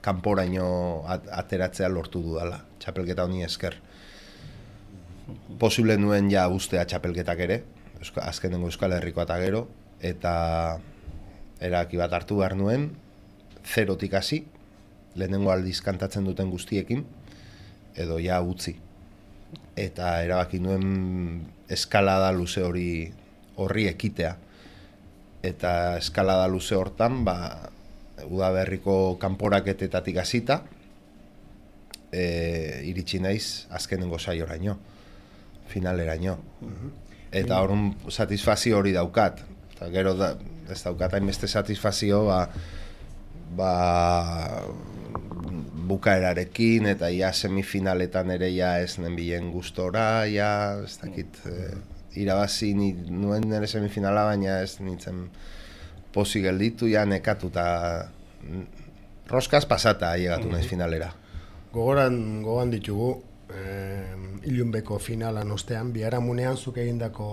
kanporaino at, ateratzea lortu dudala, txapelketa honi esker. Posible nuen ja ustea txapelketak ere, Euska, azkenengo Euskal Herrikoa eta gero, eta erabaki bat hartu behar nuen, zerotik hasi, lehenengo aldiz kantatzen duten guztiekin, edo ja utzi. Eta erabaki nuen eskalada luze hori horri ekitea. Eta eskalada luze hortan, ba, udaberriko kanporaketetatik hasita, e, iritsi naiz azkenengo saioraino, finaleraino. Eta horren satisfazio hori daukat. Eta gero da, ez daukat hainbeste satisfazio, ba, ba, bukaerarekin eta ja semifinaletan ere ja ez nenbilen gustora, ja ez dakit, eh, irabazi ni, nuen nire semifinala, baina ez nintzen pozik gelditu, ja nekatuta roskaz pasata llegatu naiz finalera. Gogoran, gogoan ditugu, eh, ilunbeko finalan ostean, biharamunean zuk egindako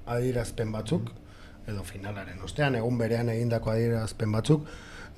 adierazpen batzuk, edo finalaren ostean, egun berean egindako adierazpen batzuk,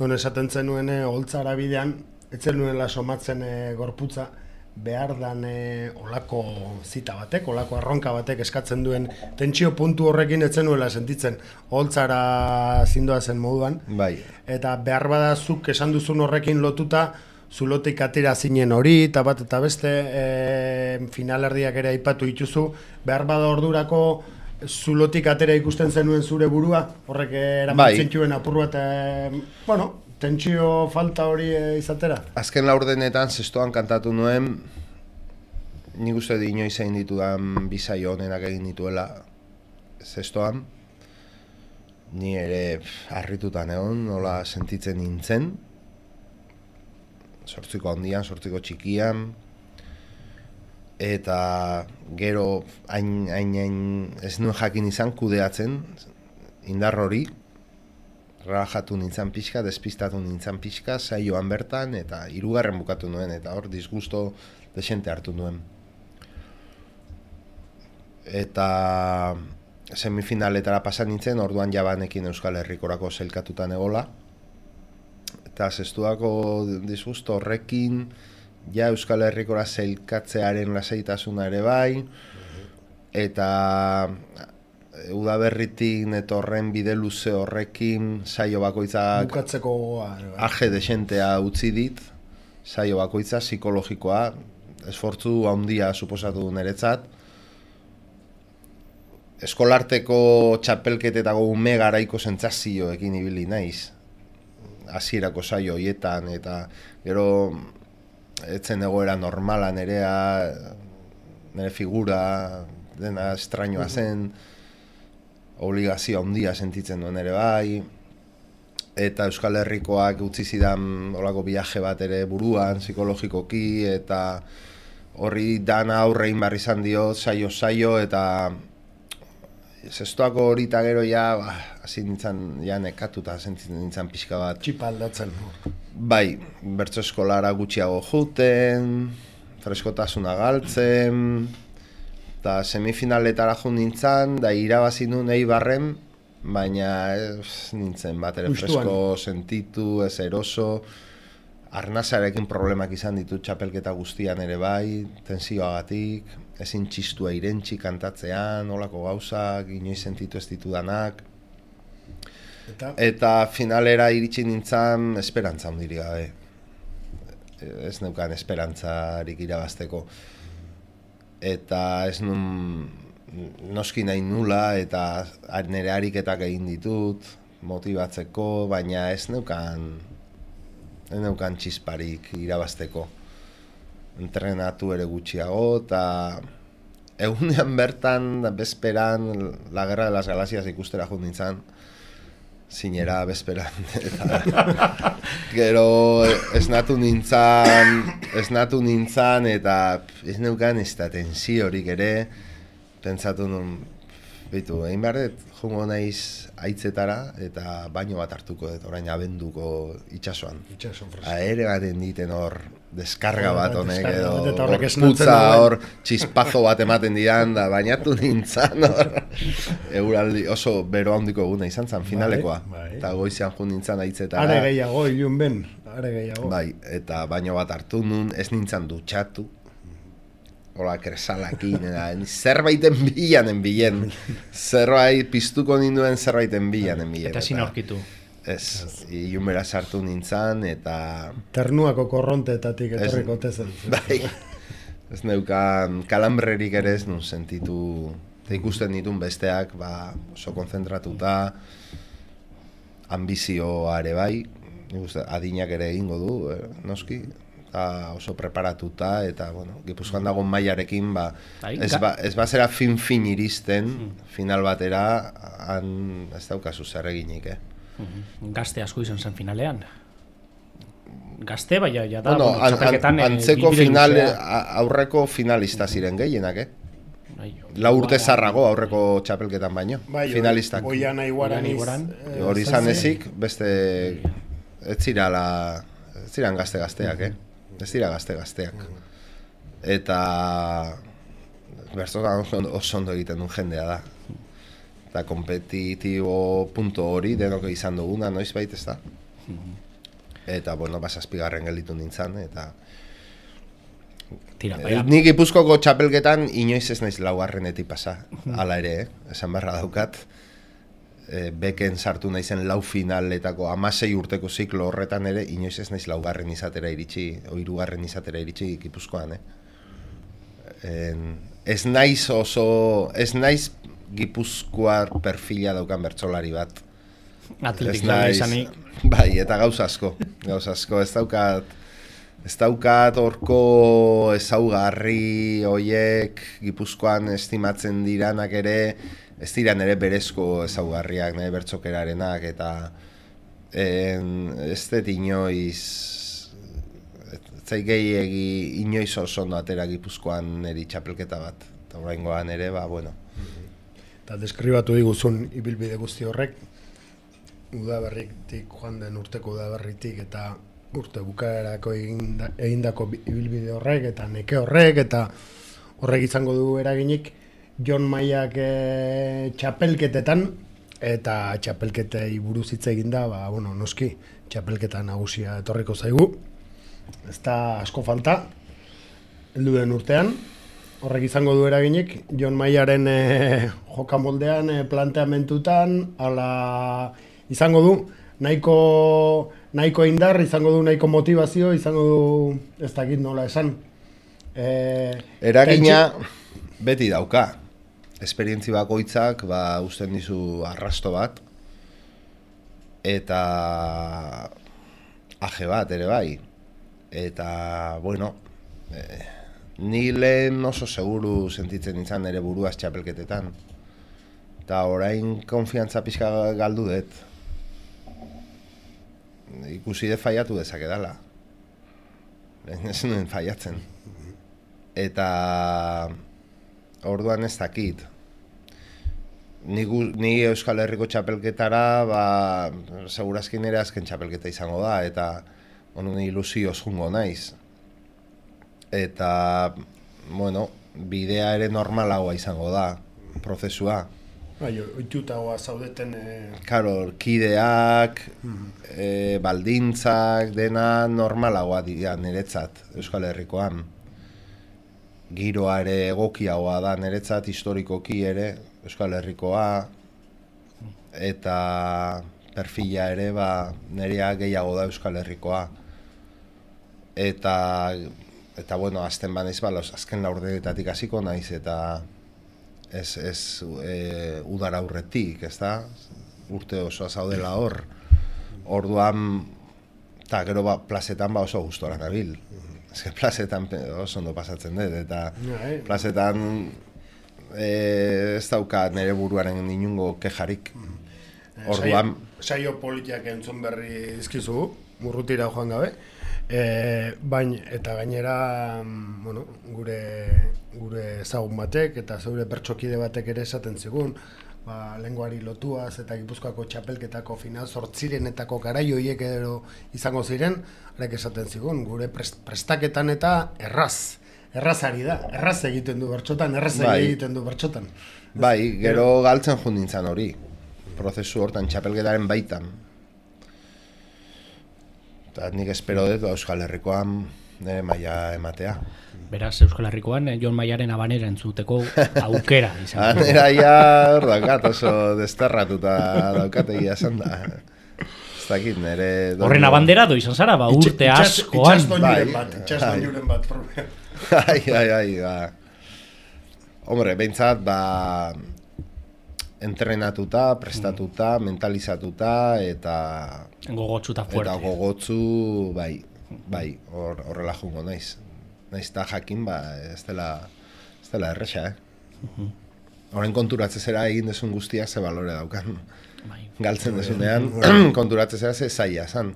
non esaten zenuen holtzara bidean, etzen nuela somatzen e, gorputza, behar dan e, olako zita batek, olako arronka batek eskatzen duen tentsio puntu horrekin etzen nuela sentitzen holtzara zindoa zen moduan. Bai. Eta behar badazuk esan duzun horrekin lotuta, zulotik atera zinen hori, eta bat eta beste e, finalerdiak ere aipatu dituzu, behar bada ordurako zulotik atera ikusten zenuen zure burua, horrek eramatzen bai. Txuen apur bat, e, bueno, tentsio falta hori e, izatera? Azken laurdenetan zestoan kantatu nuen, nik uste di inoiz egin ditudan bizaio honenak egin dituela zestoan, ni ere harritutan egon, nola sentitzen nintzen, sortziko handian, sortziko txikian, eta gero hain, hain, hain ez nuen jakin izan kudeatzen indar hori, relajatu nintzen pixka, despistatu nintzen pixka, saioan bertan, eta hirugarren bukatu nuen, eta hor disgusto desente hartu nuen. Eta semifinaletara pasan nintzen, orduan jabanekin Euskal Herrikorako sailkatutan egola, eta zestuako disgusto horrekin, ja Euskal Herrikora sailkatzearen lasaitasuna ere bai, eta udaberritik netorren bide luze horrekin saio bakoitzak bukatzeko aje desentea utzi dit, saio bakoitza psikologikoa, esfortzu handia suposatu du niretzat. Eskolarteko txapelketetako ume garaiko sentsazioekin ibili naiz, hasierako saio hoietan, eta gero etzen egoera normala nerea, nire figura dena estrañoa zen, obligazio handia sentitzen duen ere bai, eta Euskal Herrikoak utzi zidan olako viaje bat ere buruan, psikologikoki, eta horri dana aurrein barri izan dio, saio-saio, eta zestoako horita gero ja, ba, hasi nintzen, ja nekatuta sentitzen nintzen pixka bat. Txipa aldatzen. Bai, bertso eskolara gutxiago juten, freskotasuna galtzen, eta semifinaletara jo nintzen, da irabazi nuen Eibarren, baina ez nintzen bat ere fresko sentitu, ez eroso, arnazarekin problemak izan ditut txapelketa guztian ere bai, tensioagatik, ezin txistua irentxi kantatzean, olako gauzak, inoiz sentitu ez ditudanak, eta, eta finalera iritsi nintzen esperantza handirik gabe, ez neukan esperantzarik irabazteko. Eta ez nun noski nahi nula, eta nire ariketak egin ditut, motibatzeko, baina ez neukan, ez neukan txisparik irabazteko. Entrenatu ere gutxiago, eta egunean bertan, bezperan, La Guerra de las Galaxias ikustera jut nintzen, zinera bezperan, eta gero esnatu nintzen, esnatu nintzen, eta ez neukan ez da tensiorik ere, pentsatu nun, bitu, egin behar dut, jongo naiz haitzetara, eta baino bat hartuko dut, orain abenduko itxasoan. Itxasoan fresko. Aere baten diten hor, deskarga bat honek, deskarga bat, eta edo horrek gorputza esnatzen hor, txispazo bat ematen dian, da bainatu nintzen hor. Euraldi oso bero handiko eguna izan zen finalekoa. Bai, bai. Eta goizean jun nintzen haitzetara. Are gehiago, ilun ben, are gehiago. Bai, eta baino bat hartu nun, ez nintzen dutxatu. Hola, kresalakin, zerbaiten bilanen bilen. Zerbait, piztuko ninduen zerbaiten bilanen bilen. Eta ezin aurkitu. Ez, ilunbera sartu nintzen, eta... Ternuako korronteetatik etorriko tezen. Bai, ez neukan kalambrerik ere ez nun sentitu, eta ikusten ditun besteak, ba, oso konzentratuta, ambizioa ere bai, adinak ere egingo du, eh, noski, eta oso preparatuta, eta, bueno, Gipuzkoan dagoen mailarekin, ba, ez, ba, ez bazera fin-fin iristen, final batera, han ez daukazu zer eginik, eh? Gazte asko izan zen finalean. Gazte, baina ja da, bueno, bueno, txapelketan... An, antzeko final, aurreko finalista ziren gehienak, eh? Lau urte zarrago aurreko txapelketan baino, bai, finalistak. Oian Aiguaran Oian Aiguaran. Hori izan ezik, beste ez zirala, ez ziran gazte-gazteak, eh? Ez dira gazte-gazteak. Eta bertzotan oso ondo egiten duen jendea da. Eta kompetitibo punto hori denok izan duguna, noiz bait, ez da? Eta, bueno, basazpigarren gelditu nintzen, eta... Tira, baina. Nik Gipuzkoako txapelketan inoiz ez naiz laugarrenetik pasa, hala ere, eh? Esan beharra daukat. E, beken sartu naizen lau finaletako hamasei urteko ziklo horretan ere, inoiz ez naiz laugarren izatera iritsi, o hirugarren izatera iritsi Gipuzkoan, eh? En, ez naiz oso, ez naiz Gipuzkoar perfila daukan bertsolari bat. Atletik da izanik. Bai, eta gauza asko, gauza asko, ez daukat, ez daukat horko ezaugarri hoiek Gipuzkoan estimatzen diranak ere, ez dira nire berezko ezaugarriak, nire bertzokerarenak, eta en, ez dut inoiz, zai gehiegi inoiz oso ondo atera Gipuzkoan niri txapelketa bat, eta oraingoan ere, ba, bueno. Eta deskribatu diguzun ibilbide guzti horrek, udaberritik, joan den urteko udaberritik, eta urte bukaerako egindako ibilbide horrek, eta neke horrek, eta horrek izango du eraginik, Jon Maiak e, txapelketetan, eta txapelketei buruz hitz eginda, ba, bueno, noski, txapelketa nagusia etorriko zaigu. Ez da asko falta, heldu den urtean, horrek izango du eraginik, Jon Maiaren e, jokamoldean, e, planteamentutan, ala izango du, nahiko, nahiko indar, izango du nahiko motivazio, izango du, ez dakit nola esan. E, Eragina beti dauka. Esperientzi bakoitzak ba uzten dizu arrasto bat eta aje bat ere bai. Eta bueno, eh, ni lehen oso seguru sentitzen nintzen ere buruaz txapelketetan. Eta orain konfiantza pixka galdu dut. Ikusi dut faiatu dezakedala. Ez nuen faiatzen. Eta orduan ez dakit. Ni, ni Euskal Herriko txapelketara, ba, segurazki nire azken txapelketa izango da, eta honen ilusioz jungo naiz. Eta, bueno, bidea ere normalagoa izango da, prozesua. Bai, oitutagoa zaudeten... E... Karo, kideak, e, baldintzak, dena normalagoa dira niretzat, Euskal Herrikoan. Giroa ere egokiagoa da niretzat, historikoki ere, Euskal Herrikoa, eta perfila ere, ba, nirea gehiago da Euskal Herrikoa. Eta, eta bueno, azten banaiz, ba, azken laurdenetatik hasiko naiz, eta ez, ez e, udara aurretik, ez da? Urte osoa zaudela hor. Orduan, eta gero ba, plazetan ba oso gustora nabil. Ez que plazetan oso ondo pasatzen dut, eta plazetan e, ez dauka nire buruaren inungo kejarik. Orduan... Saio politiak entzun berri dizkizu, murrutira joan gabe, e, bain, eta gainera bueno, gure, gure ezagun batek eta zeure pertsokide batek ere esaten zigun, ba, lenguari lotuaz eta Gipuzkoako txapelketako final zortzirenetako garai horiek edo izango ziren, arek esaten zigun, gure prest, prestaketan eta erraz, errazari da, erraz egiten du bertxotan, erraz bai. egiten du bertxotan. Bai, gero galtzen jun nintzen hori, prozesu hortan txapelketaren baitan. Eta nik espero dut Euskal Herrikoan nire maila ematea. Beraz, Euskal Herrikoan, Jon Maiaren abanera entzuteko aukera izan. Abanera ja hor daukat, oso desterratuta daukat egia esan da. Ez dakit, nire... Horren abandera do izan zara, ba, urte askoan. Itxasdoinuren bat, itxasdoinuren bat. Ai, ai, ai, ba. Hombre, behintzat, ba... entrenatuta, prestatuta, mentalizatuta, eta... Gogotsu eta fuerte. Eta gogotsu, bai, bai, horrela jungo naiz. Naiz eta jakin, ba, ez dela, ez dela erresa, eh? Horren konturatzezera egin desun guztiak ze balore daukan. Galtzen desunean, konturatzezera ze zaila zan.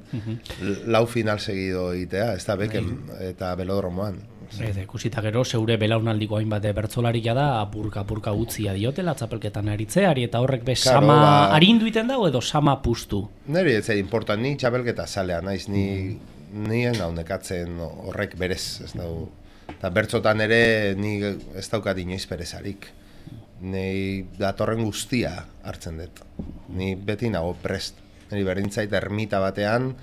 Lau final segido egitea, ez da beken eta belodromoan. Eta ikusita gero, zeure belaunaldiko hainbat bertsolaria da, apurka-apurka utzia diotela, txapelketan aritzeari, eta horrek be Claro, sama ba- arindu iten dago edo sama pustu. Neri ez zait importan, ni txapelketa zalea naiz, ni nien hau nekatzen horrek berez, ez dau. Eta bertzotan ere ni ez daukat inoiz perezarik. Nei datorren guztia hartzen dut. Ni beti nago prest. Neri berdintzait ermita batean,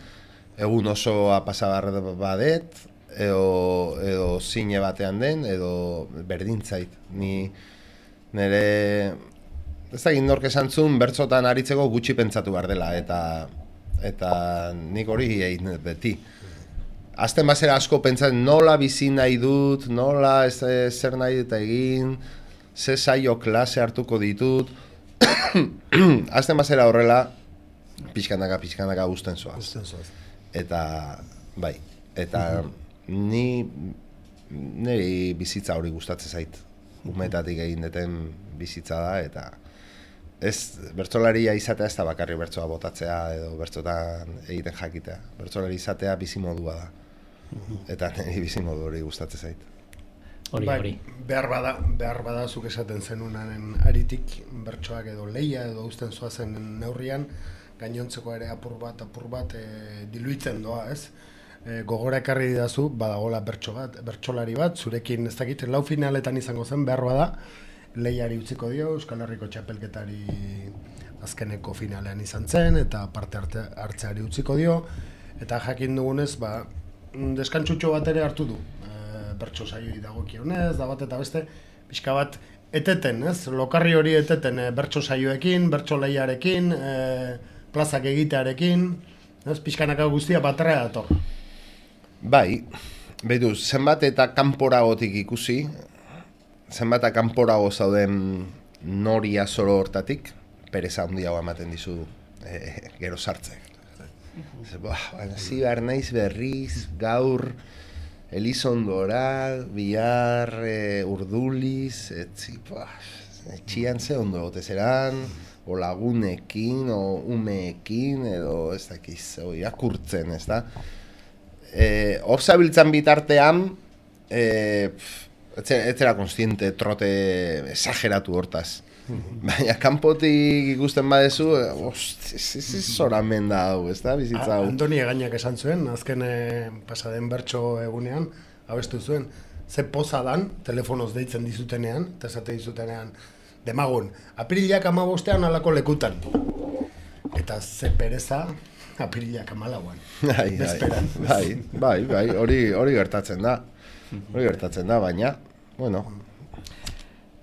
egun osoa pasabar badet, edo, edo zine batean den, edo berdintzait. Ni nire, ez da nork esan zuen, bertzotan aritzeko gutxi pentsatu behar dela, eta, eta nik hori egin dut beti. Azten bazera asko pentsatzen nola bizi nahi dut, nola ez, ez, zer nahi dut egin, ze saio klase hartuko ditut. Azten bazera horrela, pixkanaka, pixkanaka guzten zoaz. Eta, bai, eta ni, niri bizitza hori gustatzen zait. Umetatik egin deten bizitza da, eta ez, bertsolaria izatea ez da bakarri bertsoa botatzea edo bertsotan egiten jakitea. Bertsolari izatea bizimodua da. Eta niri bizimodu hori gustatzen zait. Hori, Bai, hori. behar bada, behar bada zuk esaten zenunaren aritik bertsoak edo leia edo uzten zoazen neurrian, gainontzeko ere apur bat, apur bat e, diluitzen doa, ez? E, gogora ekarri didazu, badagola bertso bat, bertsolari bat, zurekin ez dakit, lau finaletan izango zen, behar bada, lehiari utziko dio, Euskal Herriko txapelketari azkeneko finalean izan zen, eta parte arte, hartzeari utziko dio, eta jakin dugunez, ba, deskantzutxo bat ere hartu du. Bertso saioi dagokionez, da bat eta beste, pixka bat eteten, ez? Lokarri hori eteten e, bertso saioekin, bertso lehiarekin, e, plazak egitearekin, ez? Pixkanaka guztia batera dator. Bai, behitu, zenbat eta kanporagotik ikusi, zenbat eta kanporago zauden noria zoro hortatik, pereza handiago ematen dizu e, gero sartzek. Zi behar naiz berriz, gaur, Elizondora, bihar, e, urduliz, etzi, etxian ze ondo gote zeran, o lagunekin, o umeekin, edo ez dakiz, o irakurtzen, ez da. E, hor zabiltzan bitartean, e, ez zera konstiente trote esageratu hortaz. Baina kanpotik ikusten badezu, ost, ez zoramen da hau, ez da, bizitza hau. Andoni Egainak esan zuen, azken e, pasaden bertso egunean, abestu zuen, ze poza dan, telefonoz deitzen dizutenean, eta esate dizutenean, demagun, apirilak amabostean alako lekutan. Eta ze pereza, apirilak amalauan. Bai, bai, bai, bai, bai, hori, hori gertatzen da. Hori gertatzen da, baina, bueno.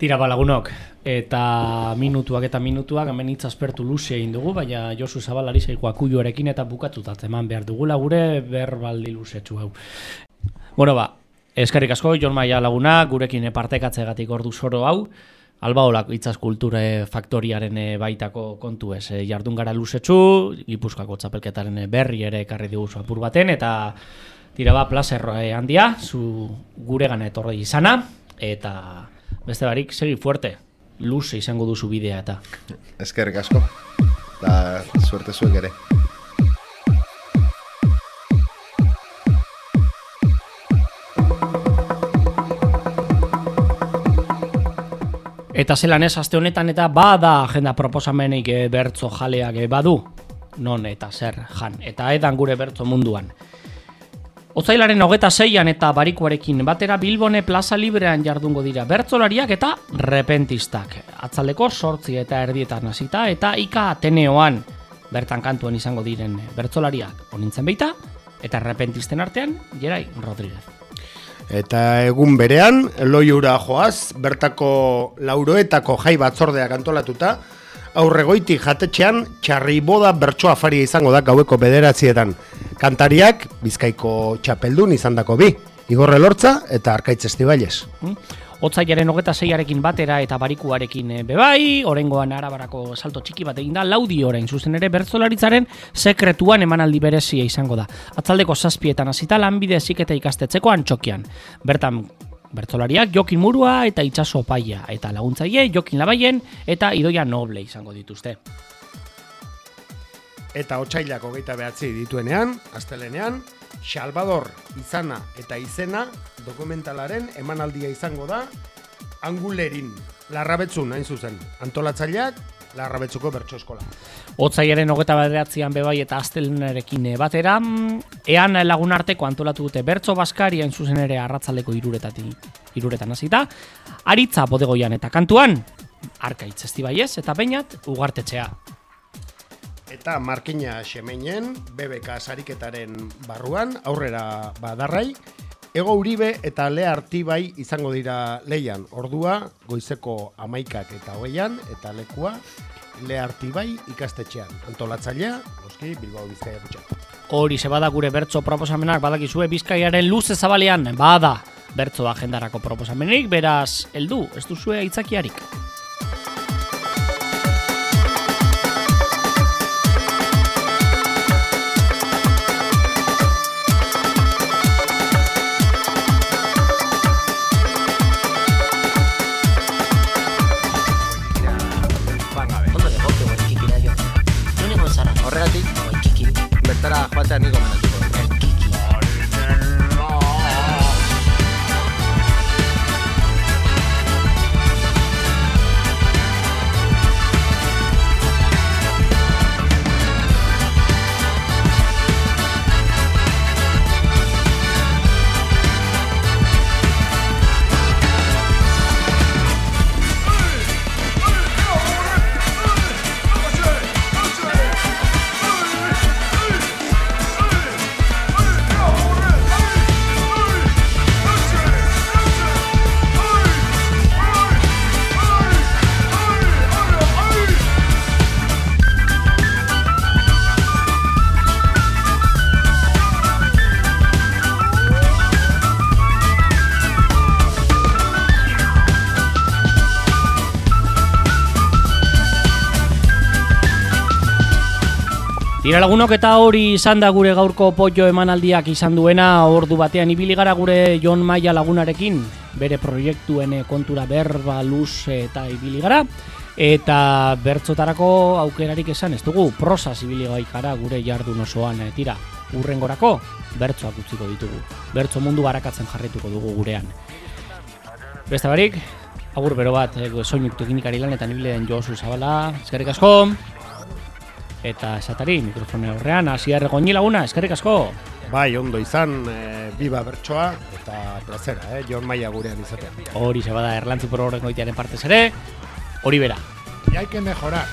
Tira balagunok, eta minutuak eta minutuak, hemen hitz aspertu luze egin dugu, baina Josu Zabalari zaiko akuioarekin eta bukatutat eman behar dugula gure berbaldi luzetsu hau. Bueno ba, eskerrik asko, Jon Maia laguna, gurekin partekatzegatik ordu zoro hau, Albaolak Itzaz Kulture Faktoriaren baitako kontu ez, jardun gara luzetsu, Gipuzkoako txapelketaren berri ere ekarri diguzu apur baten, eta tira ba, placer handia, zu guregan etorri izana, eta beste barik, segi fuerte, luze izango duzu bidea eta. Eskerrik asko, eta suerte zuek ere. Eta zelan ez, aste honetan eta bada agenda proposamenik e, bertzo jaleak e, badu, non eta zer jan, eta edan gure bertzo munduan. Otsailaren hogeta seian eta barikuarekin batera Bilbone Plaza Librean jardungo dira bertsolariak eta repentistak. Atzaldeko sortzi eta erdietan hasita eta Ika Ateneoan bertan kantuan izango diren bertsolariak onintzen beita eta repentisten artean Jerai Rodríguez. Eta egun berean, Loiura joaz, bertako lauroetako jai batzordeak antolatuta, aurregoiti jatetxean txarriboda bertso afaria izango da gaueko bederatzietan. Kantariak Bizkaiko txapeldun izandako bi, Igor Elortza eta Arkaitz Estibailes. Hmm? Otsailaren hogeta seiarekin batera eta barikuarekin bebai, orengoan Arabarako salto txiki bat egin da, laudi orain zuzen ere bertsolaritzaren sekretuan emanaldi berezia izango da. Atzaldeko zazpietan hasita lanbide heziketa ikastetzeko Antxokian. Bertan bertsolariak Jokin Murua eta Itxaso Paia, eta laguntzaile Jokin Labaien eta Idoia Noble izango dituzte. eta otsailak hogeita behatzi dituenean, astelenean, Salvador izana eta izena dokumentalaren emanaldia izango da Angulerin, Larrabetzun hain zuzen, antolatzaileak Larrabetzuko bertso eskola. Otsailaren hogeita bederatzian bebai eta astelenarekin batera, ean lagunarteko antolatu dute bertso baskari hain zuzen ere arratzaldeko iruretatik, iruretan hasita, aritza bodegoian eta kantuan, Arkaitz Estibaiez eta Beñat Ugartetxea. Eta Markina Xemeinen, B B K sariketaren barruan, aurrera badarrai, Ego Uribe eta Lea Artibai izango dira leian, ordua goizeko amaikak eta hogeian, eta lekua Lea Artibai ikastetxean. Antolatzailea, noski, Bilbao Bizkaia Kutxa. Hori ze bada gure bertso proposamenak badakizue Bizkaiaren luze zabalean, bada bertso agendarako proposamenik, beraz, heldu, ez duzue aitzakiarik. Horregatik, bertara joatea niko menatuko. Tira lagunok, eta hori izan da gure gaurko pollo emanaldiak izan duena. Ordu batean ibili gara gure Jon Maia lagunarekin, bere proiektuen kontura berba luze eta ibili gara, eta bertzotarako aukerarik esan ez dugu, prosaz ibili gara gure jardun osoan. Tira, urrengorako bertzoak utziko ditugu, bertzo mundu barakatzen jarrituko dugu gurean. Beste barik, agur bero bat, soinik teknikari lanetan ibili den Josu Zabala, eskerrik asko. Eta esatari, mikrofone horrean, Asier Goñi laguna, eskerrik asko. Bai, ondo izan, e, biba bertsoa eta plazera, eh, Jon Maia gurean izatea. Hori se bada Erlantzi por horrengo itearen partez ere, hori bera. Y hay que mejorar.